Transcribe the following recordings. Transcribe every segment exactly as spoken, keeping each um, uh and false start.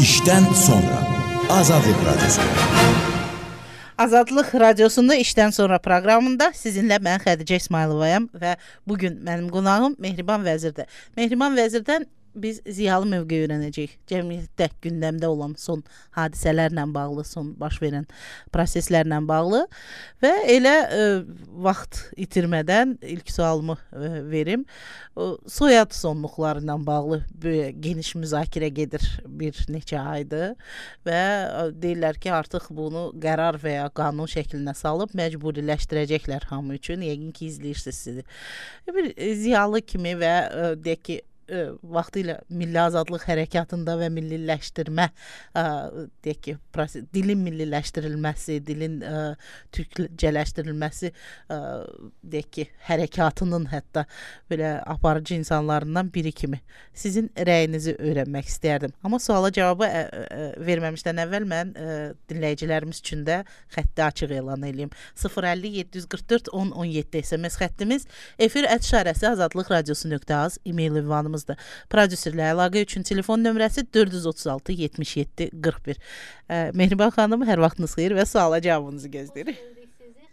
İşdən sonra Azadlıq Radyosu'nda. Azadlıq Radiosunda işdən sonra proqramında sizinlə mən Xədicə İsmayılovayam və bugün mənim qonağım Mehriban Vəzirdir. Mehriban Vəzirdən biz ziyalı mövqe öyrənəcəyik. Cəmiyyətdə gündəmdə olan son hadisələrlə bağlı, son baş verən proseslərlə bağlı və elə e, vaxt itirmədən ilk sualımı e, verim. O, soyad sonluqları ilə bağlı geniş müzakirə gedir bir neçə aydır və deyirlər ki, artıq bunu qərar və ya qanun şəklinə salıb məcburiləşdirəcəklər hamı üçün. Yəqin ki, izləyirsiniz sizi. Bir ziyalı kimi və e, deyək ki, vaxtilə Milli Azadlıq Hərəkatında və milliləşdirmə ə, deyək ki, proses, dilin milliləşdirilməsi, dilin ə, türkcələşdirilməsi ə, deyək ki, hərəkatının hətta belə aparıcı insanlarından biri kimi sizin rəyinizi öyrənmək istərdim. Amma suala cavabı ə, ə, verməmişdən əvvəl mən ə, dinləyicilərimiz üçün də xətti açıq elan edeyim. sıfır əlli yeddi yüz qırx dörd on on yeddi S M S xəttimiz, efir ət işarəsi azadlıq radiosu nöqtə az, e-mail ünvanımız. Prodüserlə əlaqə üçün telefon nömrəsi dörd yüz otuz altı yetmiş yeddi qırx bir. E, Mehriban xanım, hər vaxtınız xeyir və suala cavabınızı gözləyirik.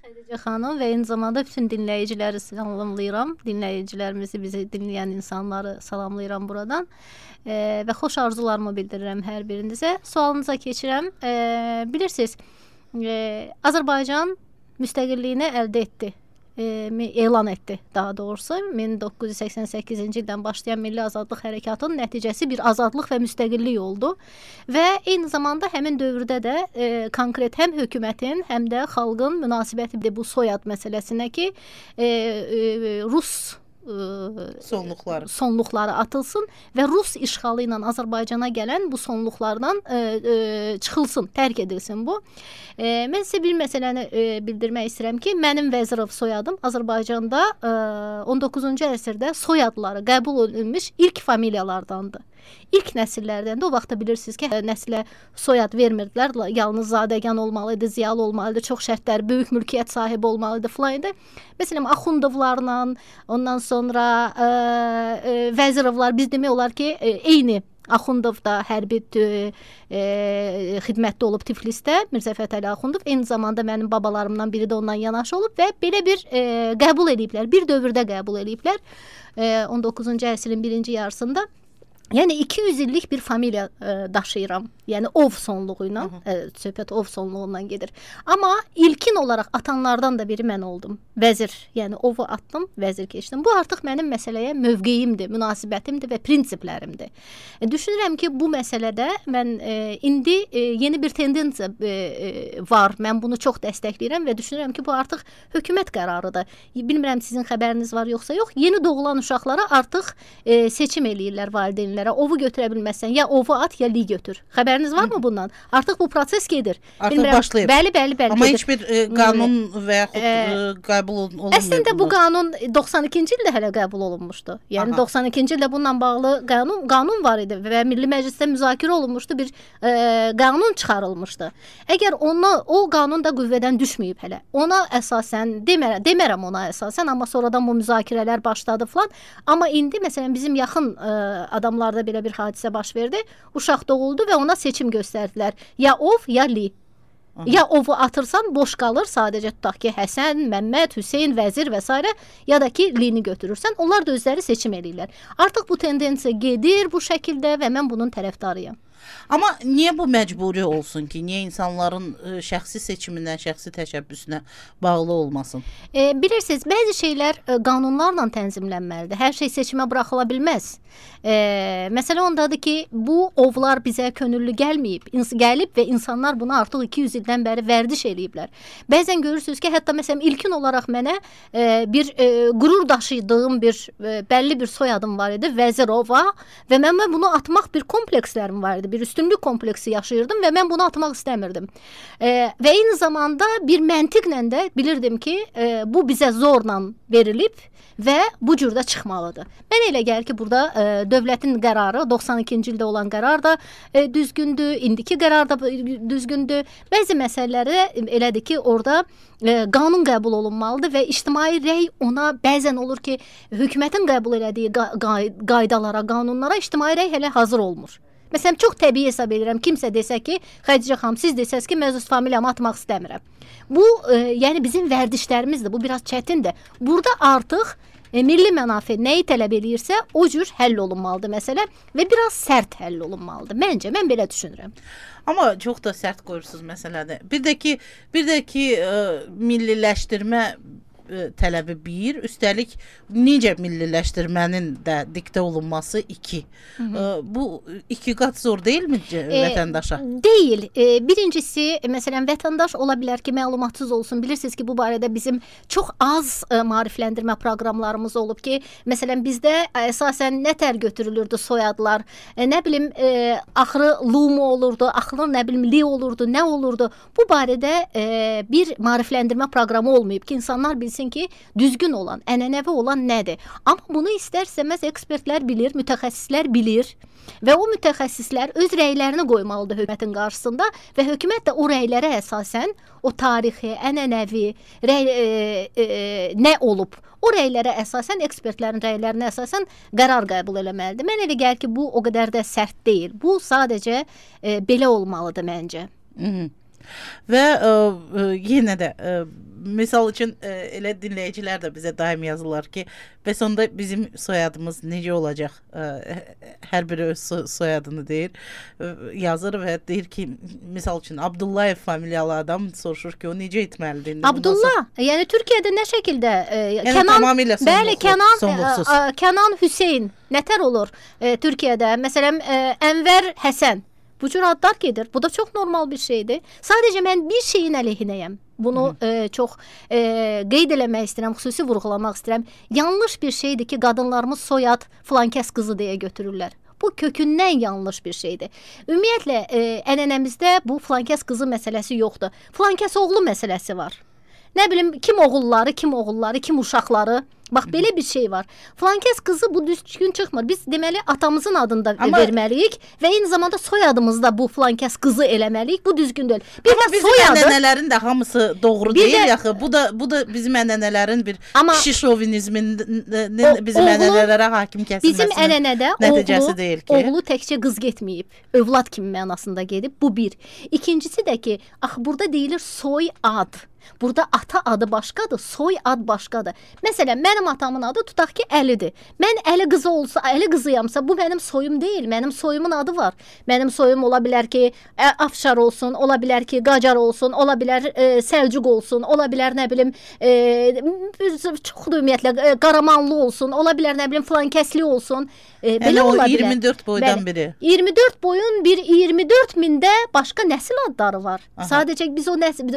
Xədicə xanım və eyni zamanda bütün dinləyiciləri salamlayıram. Dinləyicilərimizi, bizi dinləyən insanları salamlayıram buradan. E, və xoş arzularımı bildirirəm hər birinizə. Sualınıza keçirəm. E, bilirsiniz, e, Azərbaycan müstəqilliyini əldə etdi. E, elan etdi daha doğrusu. min doqquz yüz səksən səkkizinci ildən başlayan Milli Azadlıq Hərəkatının nəticəsi bir azadlıq və müstəqillik oldu və eyni zamanda həmin dövrdə də e, konkret həm hökumətin, həm də xalqın münasibəti bu soyad məsələsinə ki, e, e, Rus sonluqları sonluqları atılsın və Rus işğalı ilə Azərbaycana gələn bu sonluqlardan e, e, çıxılsın, tərk edilsin bu. E, mən sizə bir məsələni e, bildirmək istəyirəm ki, mənim Vəzirov soyadım Azərbaycanda e, on doqquzuncu əsrdə soyadları qəbul edilmiş ilk familiyalardandır. İlk nəsillərdəndə, o vaxtda bilirsiniz ki, nəsilə soyad vermirdilər. Yalnız zadəgan olmalıydı, ziyalı olmalıydı, çox şərtlər, böyük mülkiyyət sahibi olmalıydı filan idi. Məsələn, Axundovlarla, ondan sonra ə, ə, Vəzirovlar, biz demək olar ki, ə, eyni Axundov da hərbi ə, xidmətdə olub Tiflisdə, Mirzə Fətəli Axundov, eyni zamanda mənim babalarımdan biri də ondan yanaşı olub və belə bir ə, qəbul ediblər, bir dövrdə qəbul ediblər ə, on doqquzuncu əsrin birinci yarısında. Yəni iki yüz illik bir familiya ə, daşıyıram. Yəni ov sonluğu ilə, ə, söhbət ov sonluğundan gedir. Amma ilkin olaraq atanlardan da biri mən oldum. Vəzir, yəni ovu atdım, vəzir keçdim. Bu artıq mənim məsələyə mövqeyimdir, münasibətimdir və prinsiplərimdir. E, düşünürəm ki, bu məsələdə mən e, indi e, yeni bir tendensiya e, e, var. Mən bunu çox dəstəkləyirəm və düşünürəm ki, bu artıq hökumət qərarıdır. Bilmirəm sizin xəbəriniz var yoxsa yox. Yeni doğulan uşaqlara artıq e, seçim eləyirlər valideynlər. Ovu götürə bilməzsən, ya ovu at, ya li götür. Xəbəriniz varmı bundan? Artıq bu proses gedir. Artıq Bilmirəm, başlayıb. Bəli, bəli, bəli. Amma gedir. heç bir e, qanun və yaxud e, qəbul olunmuyor. Əslində bu qanun doxsan ikinci ildə hələ qəbul olunmuşdu. Yəni Aha. doxsan ikinci ildə bununla bağlı qanun qanun var idi və Milli Məclisdə müzakirə olunmuşdu, bir e, qanun çıxarılmışdı. Əgər ona o qanun da qüvvədən düşməyib hələ. Ona əsasən demərəm, demərəm ona əsasən, amma sonradan bu müzakirələr başladı falan. Amma indi məsələn bizim yaxın e, adamlar belə bir hadisə baş verdi. Uşaq doğuldu və ona seçim göstərdilər. Ya ov, ya li. Aha. Ya ovu atırsan boş qalır, sadəcə tutaq ki, Həsən, Məmməd, Hüseyn, Vəzir və s. ya da ki, lini götürürsən. Onlar da özləri seçim edirlər. Artıq bu tendensiya gedir bu şəkildə və mən bunun tərəfdarıyam. Amma niyə bu məcburi olsun ki? Niyə insanların ə, şəxsi seçimindən, şəxsi təşəbbüsünə bağlı olmasın? E, bilirsiniz, bəzi şeylər ə, qanunlarla tənzimlənməlidir. Hər şey seçimə buraxıla bilməz. E, məsələ ondadır ki, bu ovlar bizə könüllü gəlməyib, ins gəlib və insanlar bunu artıq iki yüz ildən bəri vərdiş eləyiblər. Bəzən görürsünüz ki, hətta məsələn ilkin olaraq mənə e, bir e, qürur daşıdığım bir e, bəlli bir soyadım var idi, Vəzirova, və mən, mən bunu atmaq bir komplekslərim var idi, bir üstünlük kompleksi yaşayırdım və mən bunu atmaq istəmirdim. E, və eyni zamanda bir məntiqlə də bilirdim ki, e, bu bizə zorla verilib və bu cürdə çıxmalıdır. Mən elə gəlir ki, burada e, dövlətin qərarı, doxsan ikinci ildə olan qərar da e, düzgündür, indiki qərar da düzgündür. Bəzi məsələləri elədir ki, orada e, qanun qəbul olunmalıdır və ictimai rəy ona bəzən olur ki, hökumətin qəbul elədiyi qaydalara, qanunlara ictimai rəy hələ hazır olmur. Məsələn, çox təbii hesab edirəm. Kimsə desə ki, Xədicə xanım, siz desəz ki, mən öz familiyamı atmaq istəmirəm. Bu, e, yəni bizim vərdişlərimizdir. Bu biraz çətindir. Burada artıq e, milli mənafe nəyi tələb eləyirsə, o cür həll olunmalıdır məsələ və biraz sərt həll olunmalıdır. Məncə, mən belə düşünürəm. Amma çox da sərt qoyursunuz məsələdə. Bir də ki, bir də ki, ə, milliləşdirmə tələbi bir, üstəlik necə milliləşdirmənin də diktə olunması iki. Hı -hı. Bu iki qat zor deyilmi vətəndaşa? E, deyil. E, birincisi, məsələn, vətəndaş ola bilər ki, məlumatsız olsun. Bilirsiniz ki, bu barədə bizim çox az e, maarifləndirmə proqramlarımız olub ki, məsələn, bizdə əsasən nə tər götürülürdü soyadlar, e, nə bilim, e, axırı lu mu olurdu, axırı nə bilim li olurdu, nə olurdu. Bu barədə e, bir maarifləndirmə proqramı olmayıb ki, insanlar bilsin ki, düzgün olan, ənənəvi olan nədir? Amma bunu istər-istəməz ekspertlər bilir, mütəxəssislər bilir və o mütəxəssislər öz rəylərini qoymalıdır hökumətin qarşısında və hökumət də o rəylərə əsasən o tarixi, ənənəvi rəy, e, e, nə olub? O rəylərə əsasən, ekspertlərin rəylərinə əsasən qərar qəbul eləməlidir. Mən elə gəlir ki, bu o qədər də sərt deyil. Bu sadəcə e, belə olmalıdır məncə. Hı -hı. Və ə, ə, yenə də ə, misal üçün ə, elə dinləyicilər də bizə daim yazırlar ki, bəs onda bizim soyadımız necə olacaq? Ə, hər biri öz soyadını deyir, ə, yazır və deyir ki, misal üçün Abdullayev familiyalı adam soruşur ki, o necə etməlidir? Abdullah, nasıl? Yəni Türkiyədə nə şəkildə? Ə, yəni Kənan, tamamilə sonluqsuz. Bəli, Kənan, sonluqsuz. Ə, ə, Kənan Hüseyn nətər olur ə, Türkiyədə? Məsələn, ə, Ənvər Həsən. Bu cür adlar gedir. Bu da çox normal bir şeydir. Sadəcə mən bir şeyin əleyhinəyəm. Bunu e, çox e, qeyd eləmək istəyirəm, xüsusi vurğulamaq istəyirəm. Yanlış bir şeydir ki, qadınlarımız soyad filankəs qızı deyə götürürlər. Bu kökündən yanlış bir şeydir. Ümumiyyətlə, e, ənənəmizdə bu filankəs qızı məsələsi yoxdur. Filankəs oğlu məsələsi var. Nə bilim, kim oğulları, kim oğulları, kim uşaqları. Bax, belə bir şey var. Filankəs qızı bu düzgün çıxmır. Biz deməli atamızın adını da Amma... verməliyik və eyni zamanda soyadımızda bu filankəs qızı eləməliyik. Bu düzgün deyil. Bir Amma də bizim soyadı... ənənələrin də hamısı doğru bir deyil də... yaxı. Bu da bu da bizim ənənələrin bir Amma... kişi şovinizminin bizim oğlu... ənənələrə hakim kəsilməsinin bizim ənənədə nəticəsi oğlu, deyil ki. Oğlu təkcə qız getməyib. Övlad kimi mənasında gedib. Bu bir. İkincisi də ki, axı burada deyilir soy ad. Burada ata adı başqadır, soy ad başqadır. Məsələn, mənim atamın adı tutaq ki, Əlidir. Mən Əli qızı olsa, Əli qızıyamsa, bu mənim soyum deyil. Mənim soyumun adı var. Mənim soyum ola bilər ki, Afşar olsun, ola bilər ki, Qacar olsun, ola bilər e, Səlcuq olsun, ola bilər nə bilim, e, çoxdur ümumiyyətlə, e, Qaramanlı olsun, ola bilər nə bilim, filankəsli olsun. E, belə yəni, ola bilər. iyirmi dörd boydan Bəli, biri. iyirmi dörd boyun bir iyirmi dörd mində başqa nəsil adları var. Aha. Sadəcə biz o nəsil,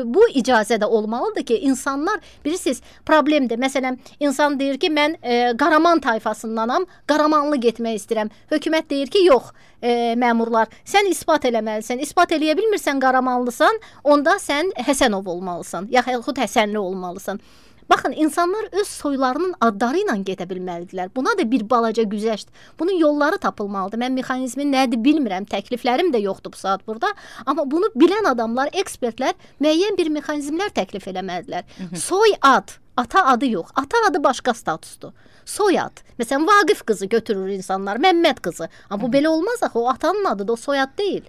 bu icazə də olmalıdır ki, insanlar, bilirsiniz, problemdir. Məsələn, insan deyir ki, mən e, Qaraman tayfasındanam, Qaramanlı getmək istəyirəm. Hökumət deyir ki, yox, e, məmurlar, sən isbat eləməlisən. İsbat eləyə bilmirsən Qaramanlısan, onda sən Həsənov olmalısan, yaxud Həsənli olmalısan. Baxın, insanlar öz soylarının adları ilə gedə bilməlidirlər. Buna da bir balaca güzəşt. Bunun yolları tapılmalıdır. Mən mexanizmi nədir bilmirəm. Təkliflərim də yoxdur bu saat burada. Amma bunu bilən adamlar, ekspertlər müəyyən bir mexanizmlər təklif eləməlidirlər. Soy ad, ata adı yox. Ata adı başqa statusdur. Soyad. Məsələn, Vaqif qızı götürür insanlar, Məmməd qızı. Amma bu belə olmaz axı. O atanın adıdır, o soyad deyil.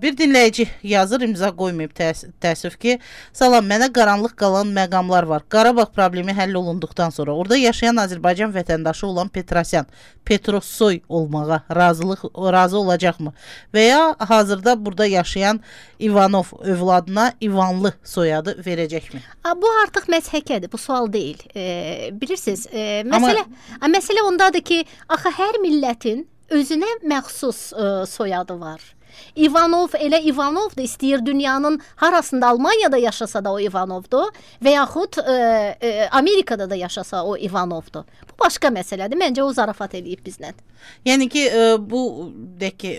Bir dinləyici yazır, imza qoymayıb təəssüf ki, salam, mənə qaranlıq qalan məqamlar var. Qarabağ problemi həll olunduqdan sonra orada yaşayan Azərbaycan vətəndaşı olan Petrosyan, Petrossoy olmağa razılıq razı olacaqmı? Və ya hazırda burada yaşayan İvanov övladına İvanlı soyadı verəcəkmi? Bu artıq məzhəkədir, bu sual deyil. E, bilirsiniz, e, məsələ, Amma... məsələ ondadır ki, axı hər millətin özünə məxsus ə, soyadı var. İvanov elə İvanovdur, istəyir dünyanın harasında, Almaniyada yaşasa da o Ivanovdur və yaxud ə, ə, Amerikada da yaşasa o Ivanovdur. Bu başqa məsələdir. Məncə o zarafat eləyib bizlə. Yəni ki, ə, bu deyək ki,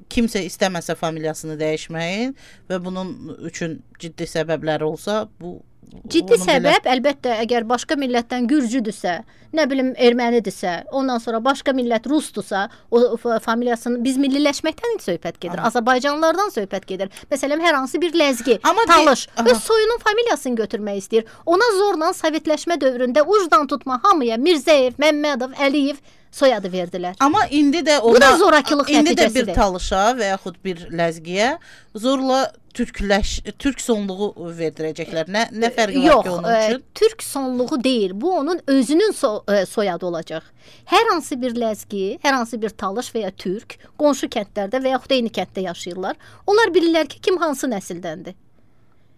kimsə istəməsə familiyasını dəyişməyin və bunun üçün ciddi səbəbləri olsa, bu ciddi səbəb belə... əlbəttə, əgər başqa millətdən gürcüdürsə, nə bilim ermənidirsə, ondan sonra başqa millət rusdursa, o familiyasını, biz milliləşməkdən söhbət gedir. Aha. Azərbaycanlılardan söhbət gedir. Məsələn, hər hansı bir ləzgi, Amma talış, öz soyunun familiyasını götürmək istəyir. Ona zorla sovetləşmə dövründə ucdan tutma hamıya Mirzəyev, Məmmədov, Əliyev soyadı verdilər. Amma indi də ona, bu da zorakılıq indi də nəticəsidir. bir talışa və yaxud bir ləzgiyə zorla türkləş, türk sonluğu verdirəcəklər. Nə nə fərqi Yox, var ki onun üçün? E, türk sonluğu deyil. Bu onun özünün so, e, soyadı olacaq. Hər hansı bir ləzgi, hər hansı bir talış və ya türk qonşu kəndlərdə və yaxud eyni kənddə yaşayırlar. Onlar bilirlər ki, kim hansı nəsildəndir.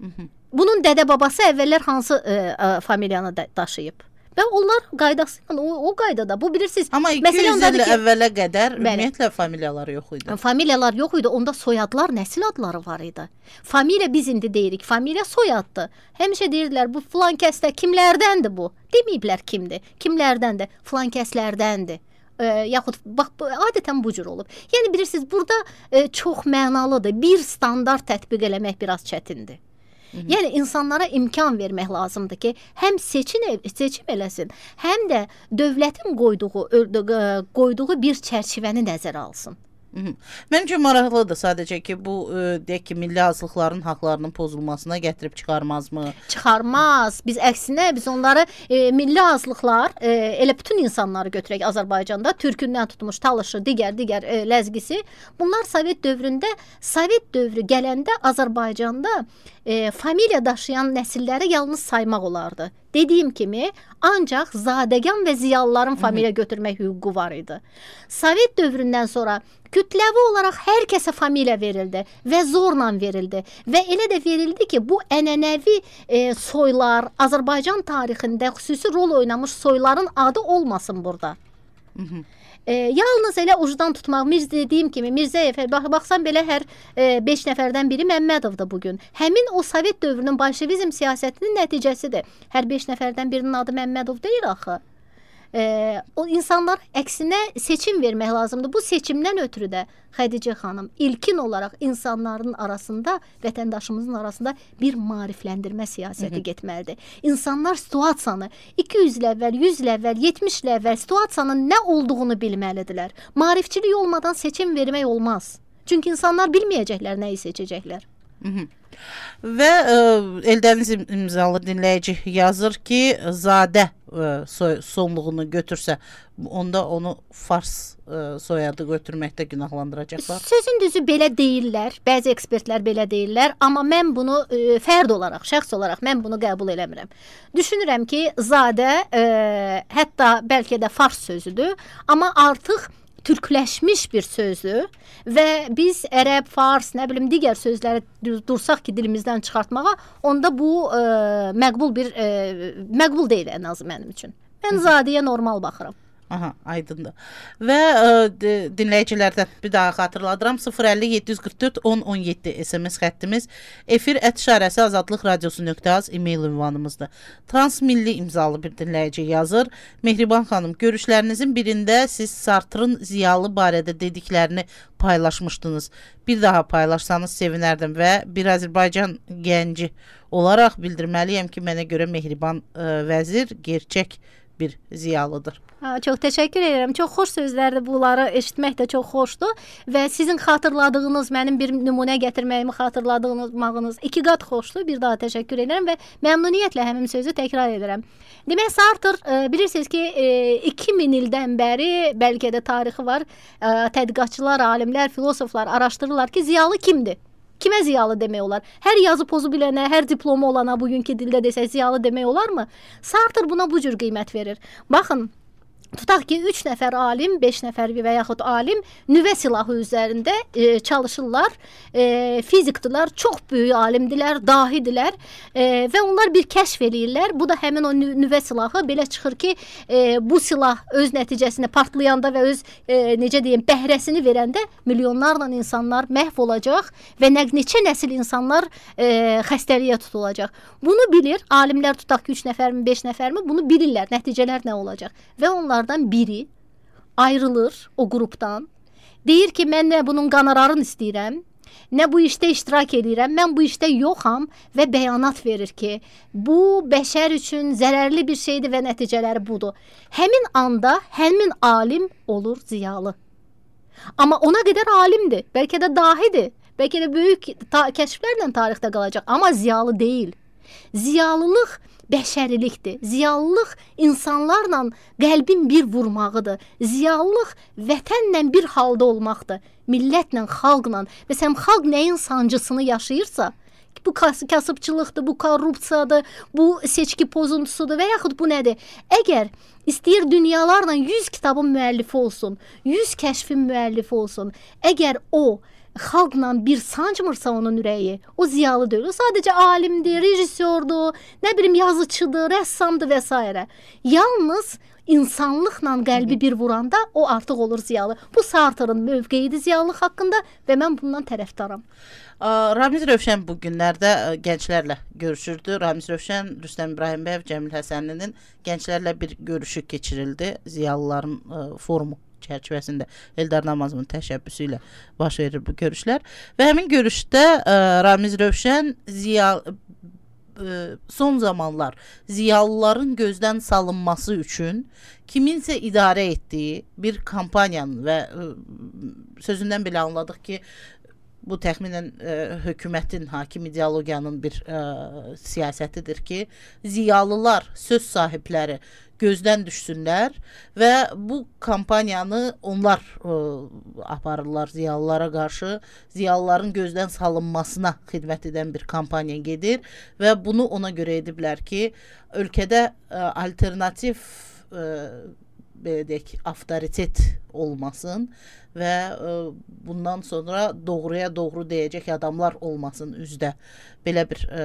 Hı -hı. Bunun dədə babası əvvəllər hansı e, e, familiyanı da, daşıyıb. Və onlar qaydası ilə o, o qaydada. Bu bilirsiniz. Amma iki yüz il əvvələ qədər ümumiyyətlə familiyalar yox idi. Familiyalar yox idi. Onda soyadlar, nəsil adları var idi. Familiya biz indi deyirik. Familiya soyaddır. Həmişə deyirdilər bu filan kəsdə kimlərdəndir bu? Deməyiblər kimdir. Kimlərdəndir? Filan kəslərdəndir. E, yaxud bax bu, adətən bu cür olub. Yəni bilirsiniz burada e, çox mənalıdır. Bir standart tətbiq eləmək biraz çətindir. Hı -hı. Yəni insanlara imkan vermək lazımdır ki, həm seçim seçim eləsin, həm də dövlətin qoyduğu qoyduğu bir çərçivəni nəzərə alsın. Mənim üçün maraqlıdır sadəcə ki, bu deyək ki, milli azlıqların haqlarının pozulmasına gətirib çıxarmazmı? Çıxarmaz. Biz əksinə biz onları e, milli azlıqlar e, elə bütün insanları götürək Azərbaycanda, türkündən tutmuş talışı, digər digər e, ləzgisi. Bunlar Sovet dövründə, Sovet dövrü gələndə Azərbaycanda e, familiya daşıyan nəsilləri yalnız saymaq olardı. Dediyim kimi, ancaq zadəgan və ziyalıların familiya götürmək hüququ var idi. Sovet dövründən sonra kütləvi olaraq hər kəsə familiya verildi və zorla verildi. Və elə də verildi ki, bu ənənəvi e, soylar, Azərbaycan tarixində xüsusi rol oynamış soyların adı olmasın burada. Hı -hı. E, yalnız elə ucdan tutmaq, Mirzə dediyim kimi, Mirzəyev, bax, baxsan belə hər e, beş nəfərdən biri Məmmədovdur bugün. Həmin o Sovet dövrünün bolşevizm siyasətinin nəticəsidir. Hər beş nəfərdən birinin adı Məmmədov deyil axı. E, o insanlar əksinə seçim vermək lazımdır. Bu seçimdən ötürü də Xədicə xanım ilkin olaraq insanların arasında, vətəndaşımızın arasında bir maarifləndirmə siyasəti Hı -hı. getməlidir. İnsanlar situasiyanı iki yüz il əvvəl, yüz il əvvəl, yetmiş il əvvəl situasiyanın nə olduğunu bilməlidirlər. Maarifçilik olmadan seçim vermək olmaz. Çünki insanlar bilməyəcəklər nəyi seçəcəklər. Hı -hı. Və e, Eldəniz imzalı dinləyici yazır ki, Zadə e, soy, sonluğunu götürsə, onda onu Fars e, soyadı götürməkdə günahlandıracaqlar. Sözün düzü belə deyirlər, bəzi ekspertlər belə deyirlər, amma mən bunu e, fərd olaraq, şəxs olaraq mən bunu qəbul eləmirəm. Düşünürəm ki, Zadə e, hətta bəlkə də Fars sözüdür, amma artıq türkləşmiş bir sözdür və biz ərəb, fars, nə bilim digər sözləri dursaq ki dilimizdən çıxartmağa, onda bu e, məqbul bir e, məqbul deyil ən azı mənim üçün. Mən Zadəyə normal baxıram. Aha, aydındır. Və e, dinləyicilərdən bir daha xatırladıram. sıfır əlli yeddi yüz qırx dörd on on yeddi S M S xəttimiz, efir ət işarəsi azadlıq radiosu nöqtə az e-mail ünvanımızdır. Transmilli imzalı bir dinləyici yazır. Mehriban xanım, görüşlərinizin birində siz Sartrın ziyalı barədə dediklərini paylaşmışdınız. Bir daha paylaşsanız sevinərdim və bir Azərbaycan gənci olaraq bildirməliyəm ki, mənə görə Mehriban e, vəzir gerçək bir ziyalıdır. Ha, çox təşəkkür edirəm. Çox xoş sözlərdir. Bunları eşitmək də çox xoşdur və sizin xatırladığınız, mənim bir nümunə gətirməyimi xatırladığınız iki qat xoşdur. Bir daha təşəkkür edirəm və məmnuniyyətlə həmin sözü təkrar edirəm. Demək, Sartre e, bilirsiniz ki, e, iki min ildən bəri bəlkə də tarixi var. E, tədqiqatçılar, alimlər, filosoflar araşdırırlar ki, ziyalı kimdir? Kimə ziyalı demək olar? Hər yazı pozu bilənə, hər diplomu olana bugünkü dildə desək ziyalı demək olarmı? Sartre buna bu cür qiymət verir. Baxın, tutaq ki, üç nəfər alim, beş nəfər və yaxud alim nüvə silahı üzərində e, çalışırlar. E, fizikdilər, çox böyük alimdilər, dahidilər e, və onlar bir kəşf eləyirlər. Bu da həmin o nüvə silahı belə çıxır ki, e, bu silah öz nəticəsində partlayanda və öz e, necə deyim, bəhrəsini verəndə milyonlarla insanlar məhv olacaq və neçə nəsil insanlar e, xəstəliyə tutulacaq. Bunu bilir, alimlər tutaq ki, üç nəfərmi, beş nəfərmi, bunu bilirlər, nəticələr nə olacaq və onlar biri ayrılır o qrupdan. Deyir ki, mən nə bunun qanararını istəyirəm, nə bu işdə iştirak edirəm, mən bu işdə yoxam və bəyanat verir ki, bu bəşər üçün zərərli bir şeydir və nəticələri budur. Həmin anda həmin alim olur ziyalı. Amma ona qədər alimdir, bəlkə də dahidir, bəlkə də böyük ta kəşflərlə tarixdə qalacaq, amma ziyalı deyil. Ziyalılıq bəşərilikdir. Ziyalılıq insanlarla qəlbin bir vurmağıdır. Ziyalılıq vətənlə bir halda olmaqdır. Millətlə, xalqla. Məsələn, xalq nəyin sancısını yaşayırsa, bu kasıbçılıqdır, bu korrupsiyadır, bu seçki pozuntusudur və yaxud bu nədir? Əgər istəyir dünyalarla yüz kitabın müəllifi olsun, yüz kəşfin müəllifi olsun, əgər o xalqla bir sancmırsa onun ürəyi, o ziyalı deyil. O sadəcə alimdir, rejissordur, nə bilim yazıçıdır, rəssamdır və s. Yalnız insanlıqla qəlbi bir vuranda o artıq olur ziyalı. Bu Sartre'ın mövqeyidir ziyalılıq haqqında və mən bundan tərəfdaram. Ramiz Rövşən bu günlərdə gənclərlə görüşürdü. Ramiz Rövşən, Rüstəm İbrahimbəyev, Cəmil Həsənlinin gənclərlə bir görüşü keçirildi. Ziyalıların ə, forumu çərçivəsində Eldar Namazovun təşəbbüsü ilə baş verir bu görüşlər. Və həmin görüşdə ə, Ramiz Rövşən ziyal ə, son zamanlar ziyalıların gözdən salınması üçün kiminsə idarə etdiyi bir kampaniyanın və ə, sözündən belə anladıq ki, bu təxminən ə, hökumətin, hakim ideologiyanın bir ə, siyasətidir ki, ziyalılar, söz sahibləri gözdən düşsünlər və bu kampaniyanı onlar ə, aparırlar ziyalılara qarşı. Ziyalıların gözdən salınmasına xidmət edən bir kampaniya gedir və bunu ona görə ediblər ki, ölkədə ə, alternativ ə, belə deyək, avtoritet olmasın və ə, bundan sonra doğruya doğru deyəcək adamlar olmasın üzdə. Belə bir ə,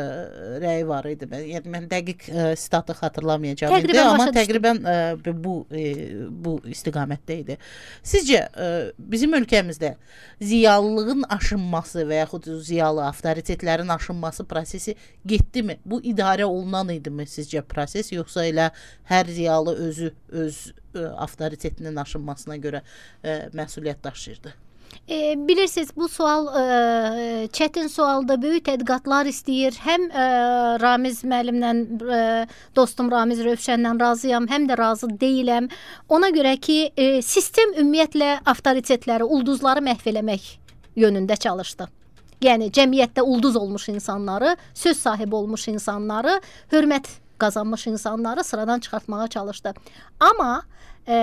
rəyi var idi. Yəni mən dəqiq ə, sitatı xatırlamayacağam indi, amma təqribən ə, bu ə, bu istiqamətdə idi. Sizcə ə, bizim ölkəmizdə ziyalılığın aşınması və yaxud ziyalı avtoritetlərin aşınması prosesi getdimi? Bu idarə olunan idimi sizcə proses, yoxsa elə hər ziyalı özü öz ə, avtoritetinin aşınmasına görə ə, məsuliyyət daşıyırdı? E, bilirsiniz, bu sual e, çətin sualdır, böyük tədqiqatlar istəyir. Həm e, Ramiz müəllimlə, e, dostum Ramiz Rövşənlə razıyam, həm də razı deyiləm. Ona görə ki, e, sistem ümumiyyətlə avtoritetləri, ulduzları məhv eləmək yönündə çalışdı. Yəni cəmiyyətdə ulduz olmuş insanları, söz sahibi olmuş insanları, hörmət qazanmış insanları sıradan çıxartmağa çalışdı. Amma e,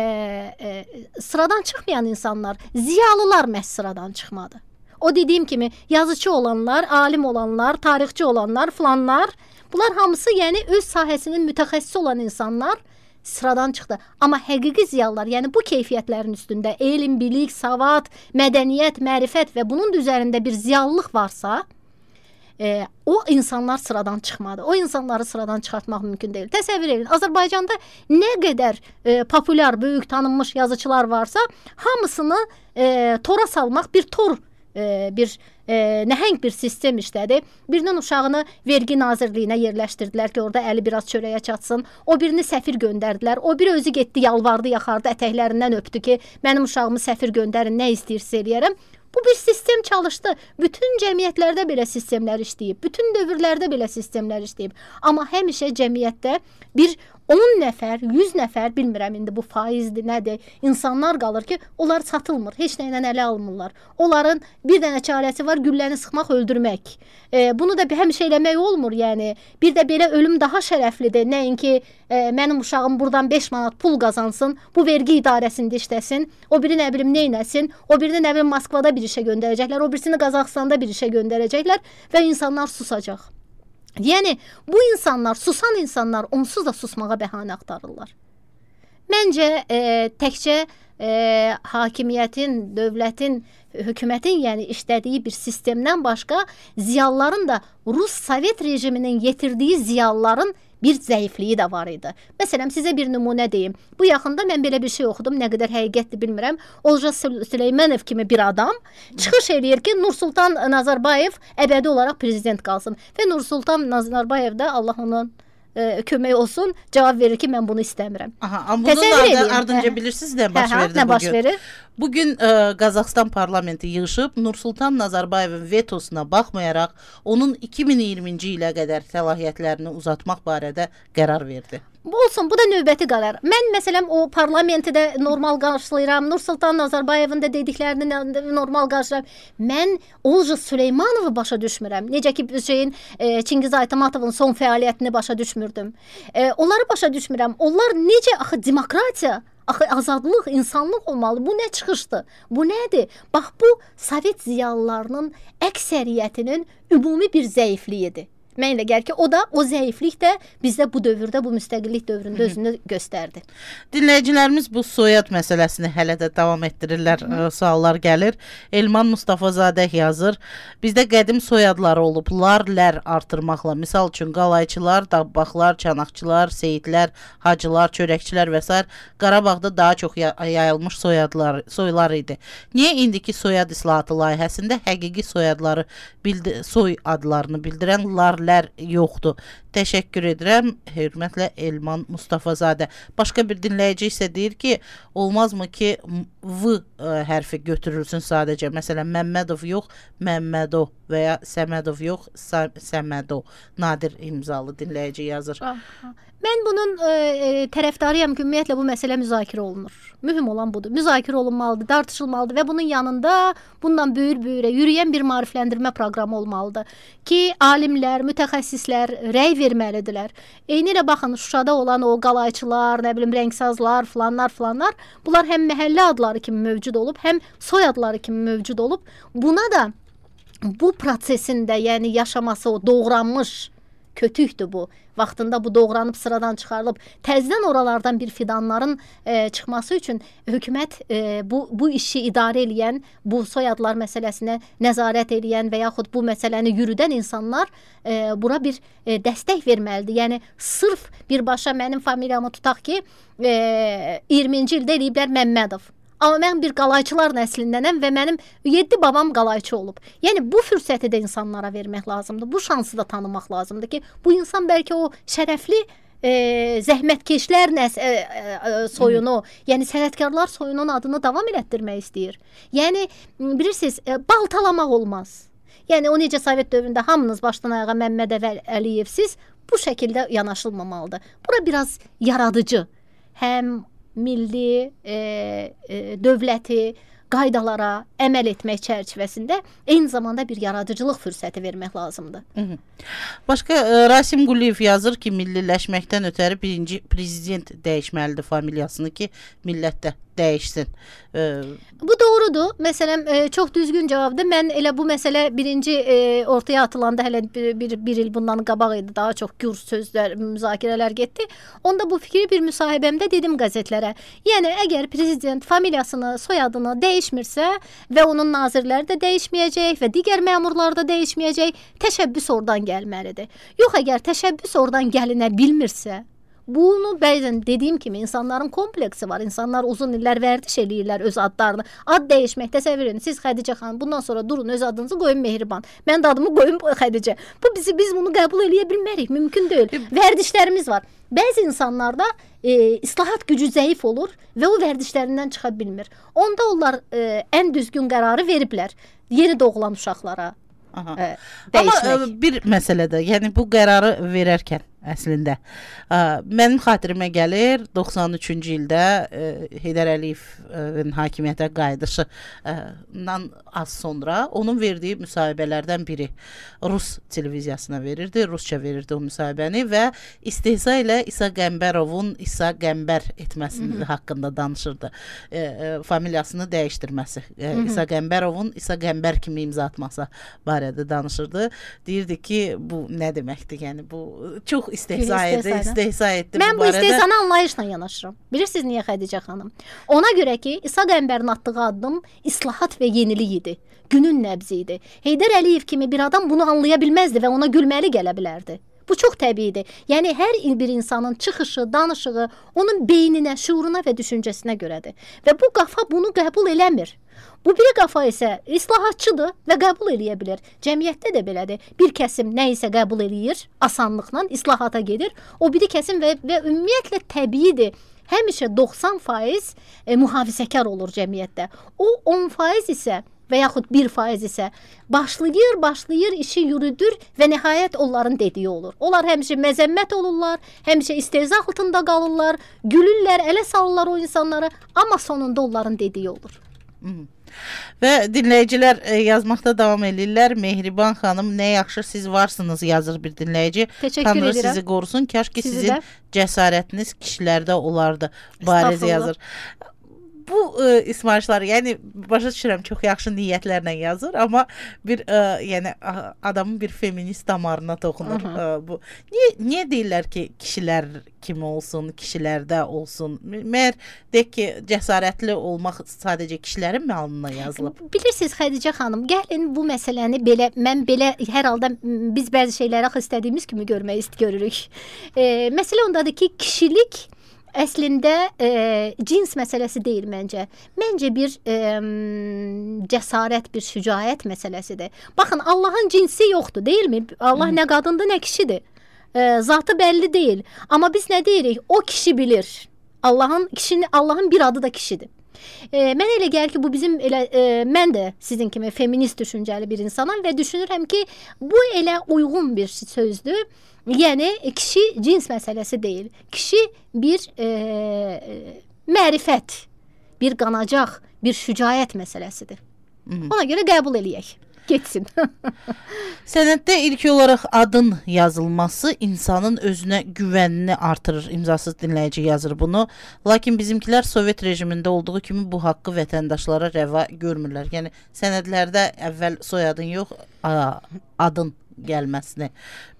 e, sıradan çıxmayan insanlar, ziyalılar məhz sıradan çıxmadı. O dediyim kimi yazıcı olanlar, alim olanlar, tarixçi olanlar, filanlar, bunlar hamısı yəni öz sahəsinin mütəxəssisi olan insanlar sıradan çıxdı. Amma həqiqi ziyalılar, yəni bu keyfiyyətlərin üstündə elm, bilik, savad, mədəniyyət, mərifət və bunun üzərində bir ziyalılıq varsa, E, o insanlar sıradan çıxmadı. O insanları sıradan çıxartmaq mümkün deyil. Təsəvvür edin, Azərbaycanda nə qədər e, populyar, böyük, tanınmış yazıçılar varsa, hamısını e, tora salmaq bir tor, e, bir e, nəhəng bir sistem işlədi. Birinin uşağını vergi nazirliyinə yerləşdirdilər ki, orada əli biraz çörəyə çatsın. O birini səfir göndərdilər. O biri özü getdi, yalvardı, yaxardı, ətəklərindən öpdü ki, mənim uşağımı səfir göndərin, nə istəyirsə eləyərəm. Bu bir sistem çalışdı. Bütün cəmiyyətlərdə belə sistemlər işləyib. Bütün dövrlərdə belə sistemlər işləyib. Amma həmişə cəmiyyətdə bir on nəfər, yüz nəfər, bilmirəm indi bu faizdir, nədir, insanlar qalır ki, onlar satılmır, heç nə ilə ələ almırlar. Onların bir dənə çarəsi var, gülləni sıxmaq, öldürmək. E, bunu da həmişə eləmək olmur, yəni. Bir də belə ölüm daha şərəflidir. Nəinki e, mənim uşağım buradan beş manat pul qazansın, bu vergi idarəsində işləsin, o biri nə bilim neynəsin, o birini nə bilim Moskvada bir işə göndərəcəklər, o birisini Qazaxstanda bir işə göndərəcəklər və insanlar susacaq. Yəni, bu insanlar, susan insanlar onsuz da susmağa bəhanə axtarırlar. Məncə, e, təkcə e, hakimiyyətin, dövlətin, hökumətin yəni işlədiyi bir sistemdən başqa ziyalıların da Rus Sovet rejiminin yetirdiyi ziyalıların bir zəifliyi də var idi. Məsələn, sizə bir nümunə deyim. Bu yaxında mən belə bir şey oxudum, nə qədər həqiqətdir bilmirəm. Olca Süleymanov kimi bir adam çıxış eləyir ki, Nursultan Nazarbayev əbədi olaraq prezident qalsın. Və Nursultan Nazarbayev də Allah onun e, kömək olsun, cavab verir ki, mən bunu istəmirəm. Aha, amma bunun ardınca bilirsiniz nə baş verdi nə baş verir? Bugün e, Qazaxstan parlamenti yığışıb Nursultan Nazarbayevin vetosuna baxmayaraq onun iki min iyirminci ilə qədər səlahiyyətlərini uzatmaq barədə qərar verdi. Olsun, bu da növbəti qərar. Mən məsələn o parlamenti də normal qarşılayıram. Nursultan Nazarbayevin də dediklərini normal qarşılayıram. Mən Olca Süleymanovu başa düşmürəm. Necə ki şeyin e, Çingiz Aytmatovun son fəaliyyətini başa düşmürdüm. E, onları başa düşmürəm. Onlar necə axı demokratiya, axı azadlıq, insanlıq olmalı. Bu nə çıxışdı? Bu nədir? Bax bu Sovet ziyalılarının əksəriyyətinin ümumi bir zəifliyidir. Mən elə gəlir ki, o da, o zəiflik də bizdə bu dövrdə, bu müstəqillik dövründə özünü göstərdi. Dinləyicilərimiz bu soyad məsələsini hələ də davam etdirirlər, Hı. suallar gəlir. Elman Mustafazadə yazır, bizdə qədim soyadları olub, lar, lər artırmaqla, misal üçün qalayçılar, dabbaqlar, çanaqçılar, seyidlər, hacılar, çörəkçilər və s. Qarabağda daha çox yayılmış soyadlar, soylar idi. Niyə indiki soyad islahatı layihəsində həqiqi soyadları, bildi, soy adlarını bildirən lar, lər yoxdur. Təşəkkür edirəm. Hörmətlə Elman Mustafazadə. Başqa bir dinləyici isə deyir ki, olmazmı ki V hərfi götürülsün sadəcə. Məsələn, Məmmədov yox, Məmmədov və ya Səmədov yox, Səmədov. Nadir imzalı dinləyici yazır. Aha. Mən bunun e, tərəfdarıyam ki, ümumiyyətlə bu məsələ müzakirə olunur. Mühüm olan budur. Müzakirə olunmalıdır, tartışılmalıdır və bunun yanında bundan böyür-böyürə yürüyən bir maarifləndirmə proqramı olmalıdır ki, alimlər, mütəxəssislər rəy verməlidirlər. Eyni ilə baxın, Şuşada olan o qalayçılar, nə bilim, rəngsazlar, filanlar, filanlar, bunlar həm məhəllə adları kimi mövcud olub, həm soy adları kimi mövcud olub. Buna da bu prosesində, yəni yaşaması o doğranmış kötükdür bu. Vaxtında bu doğranıb sıradan çıxarılıb, təzdən oralardan bir fidanların e, çıxması üçün hökumət e, bu, bu işi idarə edən, bu soyadlar məsələsinə nəzarət edən və yaxud bu məsələni yürüdən insanlar e, bura bir e, dəstək verməlidir. Yəni, sırf birbaşa mənim familiyamı tutaq ki, e, iyirminci ildə eləyiblər Məmmədov. Amma mən bir qalayçılar nəslindənəm və mənim yeddi babam qalayçı olub. Yəni, bu fürsəti də insanlara vermək lazımdır. Bu şansı da tanımaq lazımdır ki, bu insan bəlkə o şərəfli e, zəhmətkeşlər nəs e, e, soyunu, Hı. yəni sənətkarlar soyunun adını davam elətdirmək istəyir. Yəni, bilirsiniz, e, baltalamaq olmaz. Yəni, o necə Sovet dövründə hamınız başdan ayağa Məmməd Əliyevsiz, bu şəkildə yanaşılmamalıdır. Bura biraz yaradıcı, həm milli e, e, dövləti qaydalara əməl etmək çərçivəsində eyni zamanda bir yaradıcılıq fürsəti vermək lazımdır. Hı -hı. Başqa e, Rasim Quliyev yazır ki, milliləşməkdən ötəri birinci prezident dəyişməlidir familiyasını ki, millət də dəyişsin. E, bu doğrudur. Məsələn, e, çox düzgün cavabdır. Mən elə bu məsələ birinci e, ortaya atılanda hələ bir, bir, bir il bundan qabaq idi. Daha çox gür sözlər, müzakirələr getdi. Onda bu fikri bir müsahibəmdə dedim qəzetlərə. Yəni, əgər prezident familiyasını, soyadını dəyişmirsə və onun nazirləri də dəyişməyəcək və digər məmurlar da dəyişməyəcək, təşəbbüs oradan gəlməlidir. Yox, əgər təşəbbüs oradan gəlinə bilmirsə, bunu bəzən dediyim kimi insanların kompleksi var. İnsanlar uzun illər vərdiş eləyirlər öz adlarını. Ad dəyişmək, təsəvvür edin. Siz Xədicə xanım, bundan sonra durun, öz adınızı qoyun Mehriban. Mən də adımı qoyun Xədicə. Bu bizi biz bunu qəbul eləyə bilmərik, mümkün deyil. Vərdişlərimiz var. Bəzi insanlarda e, islahat gücü zəif olur və o vərdişlərindən çıxa bilmir. Onda onlar e, ən düzgün qərarı veriblər. Yeni doğulan uşaqlara e, dəyişmək. Amma e, bir məsələdə, yəni bu qərarı verərkən əslində. Ə, mənim xatirimə gəlir doxsan üçüncü ildə ə, Heydər Əliyevin hakimiyyətə qayıdışından az sonra onun verdiyi müsahibələrdən biri Rus televiziyasına verirdi, Rusça verirdi o müsahibəni və istehza ilə İsa Qəmbərovun İsa Qəmbər etməsinin Hı -hı. haqqında danışırdı. E, e, familiyasını dəyişdirməsi. E, Hı -hı. İsa Qəmbərovun İsa Qəmbər kimi imza atması barədə danışırdı. Deyirdi ki, bu nə deməkdir? Yəni bu çox istehza etdi, istehza etdi. Mən bu, bu istehzana anlayışla yanaşıram. Bilirsiniz niyə Xədicə xanım? Ona görə ki, İsa Qəmbərin atdığı addım islahat və yenilik idi. Günün nəbzi idi. Heydər Əliyev kimi bir adam bunu anlaya bilməzdi və ona gülməli gələ bilərdi. Bu çox təbiidir. Yəni, hər bir insanın çıxışı, danışığı onun beyninə, şuuruna və düşüncəsinə görədir. Və bu qafa bunu qəbul eləmir. Bu biri qafa isə islahatçıdır və qəbul eləyə bilir. Cəmiyyətdə də belədir. Bir kəsim nə isə qəbul eləyir, asanlıqla islahata gedir. O biri kəsim və, və ümumiyyətlə təbiidir. Həmişə doxsan faiz e, mühafizəkar olur cəmiyyətdə. O on faiz isə və yaxud bir faiz isə başlayır, başlayır, işi yürüdür və nəhayət onların dediyi olur. Onlar həmişə məzəmmət olurlar, həmişə istehza altında qalırlar, gülürlər, ələ salırlar o insanlara, amma sonunda onların dediyi olur. Hı. Və dinləyicilər e, yazmaqda davam edirlər. Mehriban xanım, nə yaxşı siz varsınız, yazır bir dinləyici. Təşəkkür Tanrı edirəm. sizi qorusun. Kaş ki Sizi sizin də. cəsarətiniz kişilərdə olardı. Bariz Estağfurullah. yazır. Bu e, ismarışlar, yəni başa düşürəm, çox yaxşı niyyətlərlə yazır, amma bir e, yəni a- adamın bir feminist damarına toxunur. E, bu niyə niyə deyirlər ki, kişilər kimi olsun, kişilərdə olsun? Məyər deyək ki, cəsarətli olmaq sadəcə kişilərin mi alnına yazılıb? Bilirsiniz Xədicə xanım, gəlin bu məsələni belə, mən belə hər halda m, biz bəzi şeyləri axı istədiyimiz kimi görmək ist görürük. E, məsələ ondadır ki, kişilik əslində e, cins məsələsi deyil məncə. Məncə bir e, cəsarət, bir şücaət məsələsidir. Baxın, Allahın cinsi yoxdur, deyilmi? Allah Hı. nə qadındır, nə kişidir. E, zatı bəlli deyil. Amma biz nə deyirik? O kişi bilir. Allahın kişinin Allahın bir adı da kişidir. E, mən elə gəlir ki, bu bizim elə e, mən də sizin kimi feminist düşüncəli bir insanam və düşünürəm ki, bu elə uyğun bir sözdür. Yəni kişi cins məsələsi deyil. Kişi bir e, mərifət, bir qanacaq, bir şücaət məsələsidir. Hı. Ona görə qəbul eləyək. Getsin. Sənəddə ilk olaraq adın yazılması insanın özünə güvənini artırır. İmzasız dinləyici yazır bunu. Lakin bizimkilər Sovet rejimində olduğu kimi bu haqqı vətəndaşlara rəva görmürlər. Yəni sənədlərdə əvvəl soyadın yox, adın gəlməsini.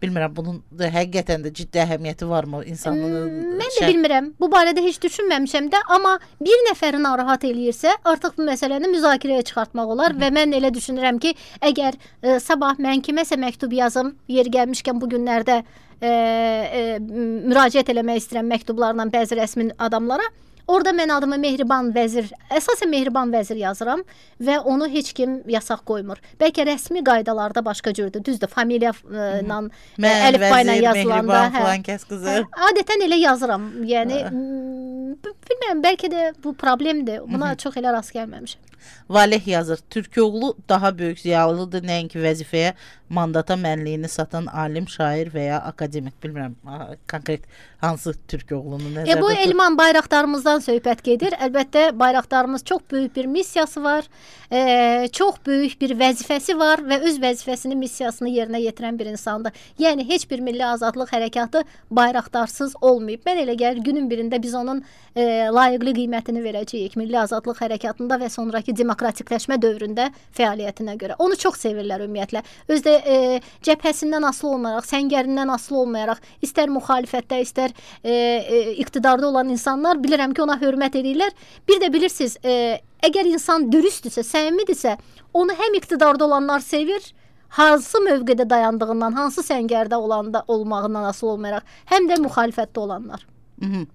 Bilmirəm, bunun da həqiqətən də ciddi əhəmiyyəti varmı insanın? Hmm, mən də bilmirəm. Bu barədə heç düşünməmişəm də, amma bir nəfəri narahat eləyirsə, artıq bu məsələni müzakirəyə çıxartmaq olar. Hı -hı. Və mən elə düşünürəm ki, əgər e, sabah mən kiməsə məktub yazım, yeri gəlmişkən bu günlərdə e, e, müraciət eləmək istəyirəm məktublarla bəzi rəsmi adamlara. Orada mən adımı Mehriban Vəzir, əsasən Mehriban Vəzir yazıram və onu heç kim yasaq qoymur. Bəlkə rəsmi qaydalarda başqa cürdür. Düzdür, familiya ilə, əlifba ilə yazılanda, hə, hə, adətən elə yazıram. Yəni bilmirəm, bəlkə də bu problemdir. Buna Hı -hı. çox elə rast gəlməmişəm. Valeh yazır. Türkoğlu daha böyük ziyalıdır, nəinki vəzifəyə, mandata mənliyini satan alim, şair və ya akademik. Bilmirəm, konkret hansı Türkoğlunu nəzərdə tutur. E, bu Elman bayraqdarımızdan söhbət gedir. Əlbəttə bayraqdarımız çox böyük bir missiyası var, e, çox böyük bir vəzifəsi var və öz vəzifəsini, missiyasını yerinə yetirən bir insandır. Yəni heç bir milli azadlıq hərəkatı bayraqdarsız olmayıb. Mən elə gəlir günün birində biz onun e, layiqli qiymətini verəcəyik milli azadlıq hərəkatında və sonraki demokratikləşmə dövründə fəaliyyətinə görə. Onu çox sevirlər ümumiyyətlə. Özdə e, cəbhəsindən asılı olmayaraq, səngərindən asılı olmayaraq, istər müxalifətdə, istər e, e, iqtidarda olan insanlar bilirəm ki, ona hörmət edirlər. Bir də bilirsiniz, e, əgər insan dürüstdürsə, səmimidirsə, onu həm iqtidarda olanlar sevir, hansı mövqedə dayandığından, hansı səngərdə olanda olmağından asılı olmayaraq, həm də müxalifətdə olanlar. Hı -hı.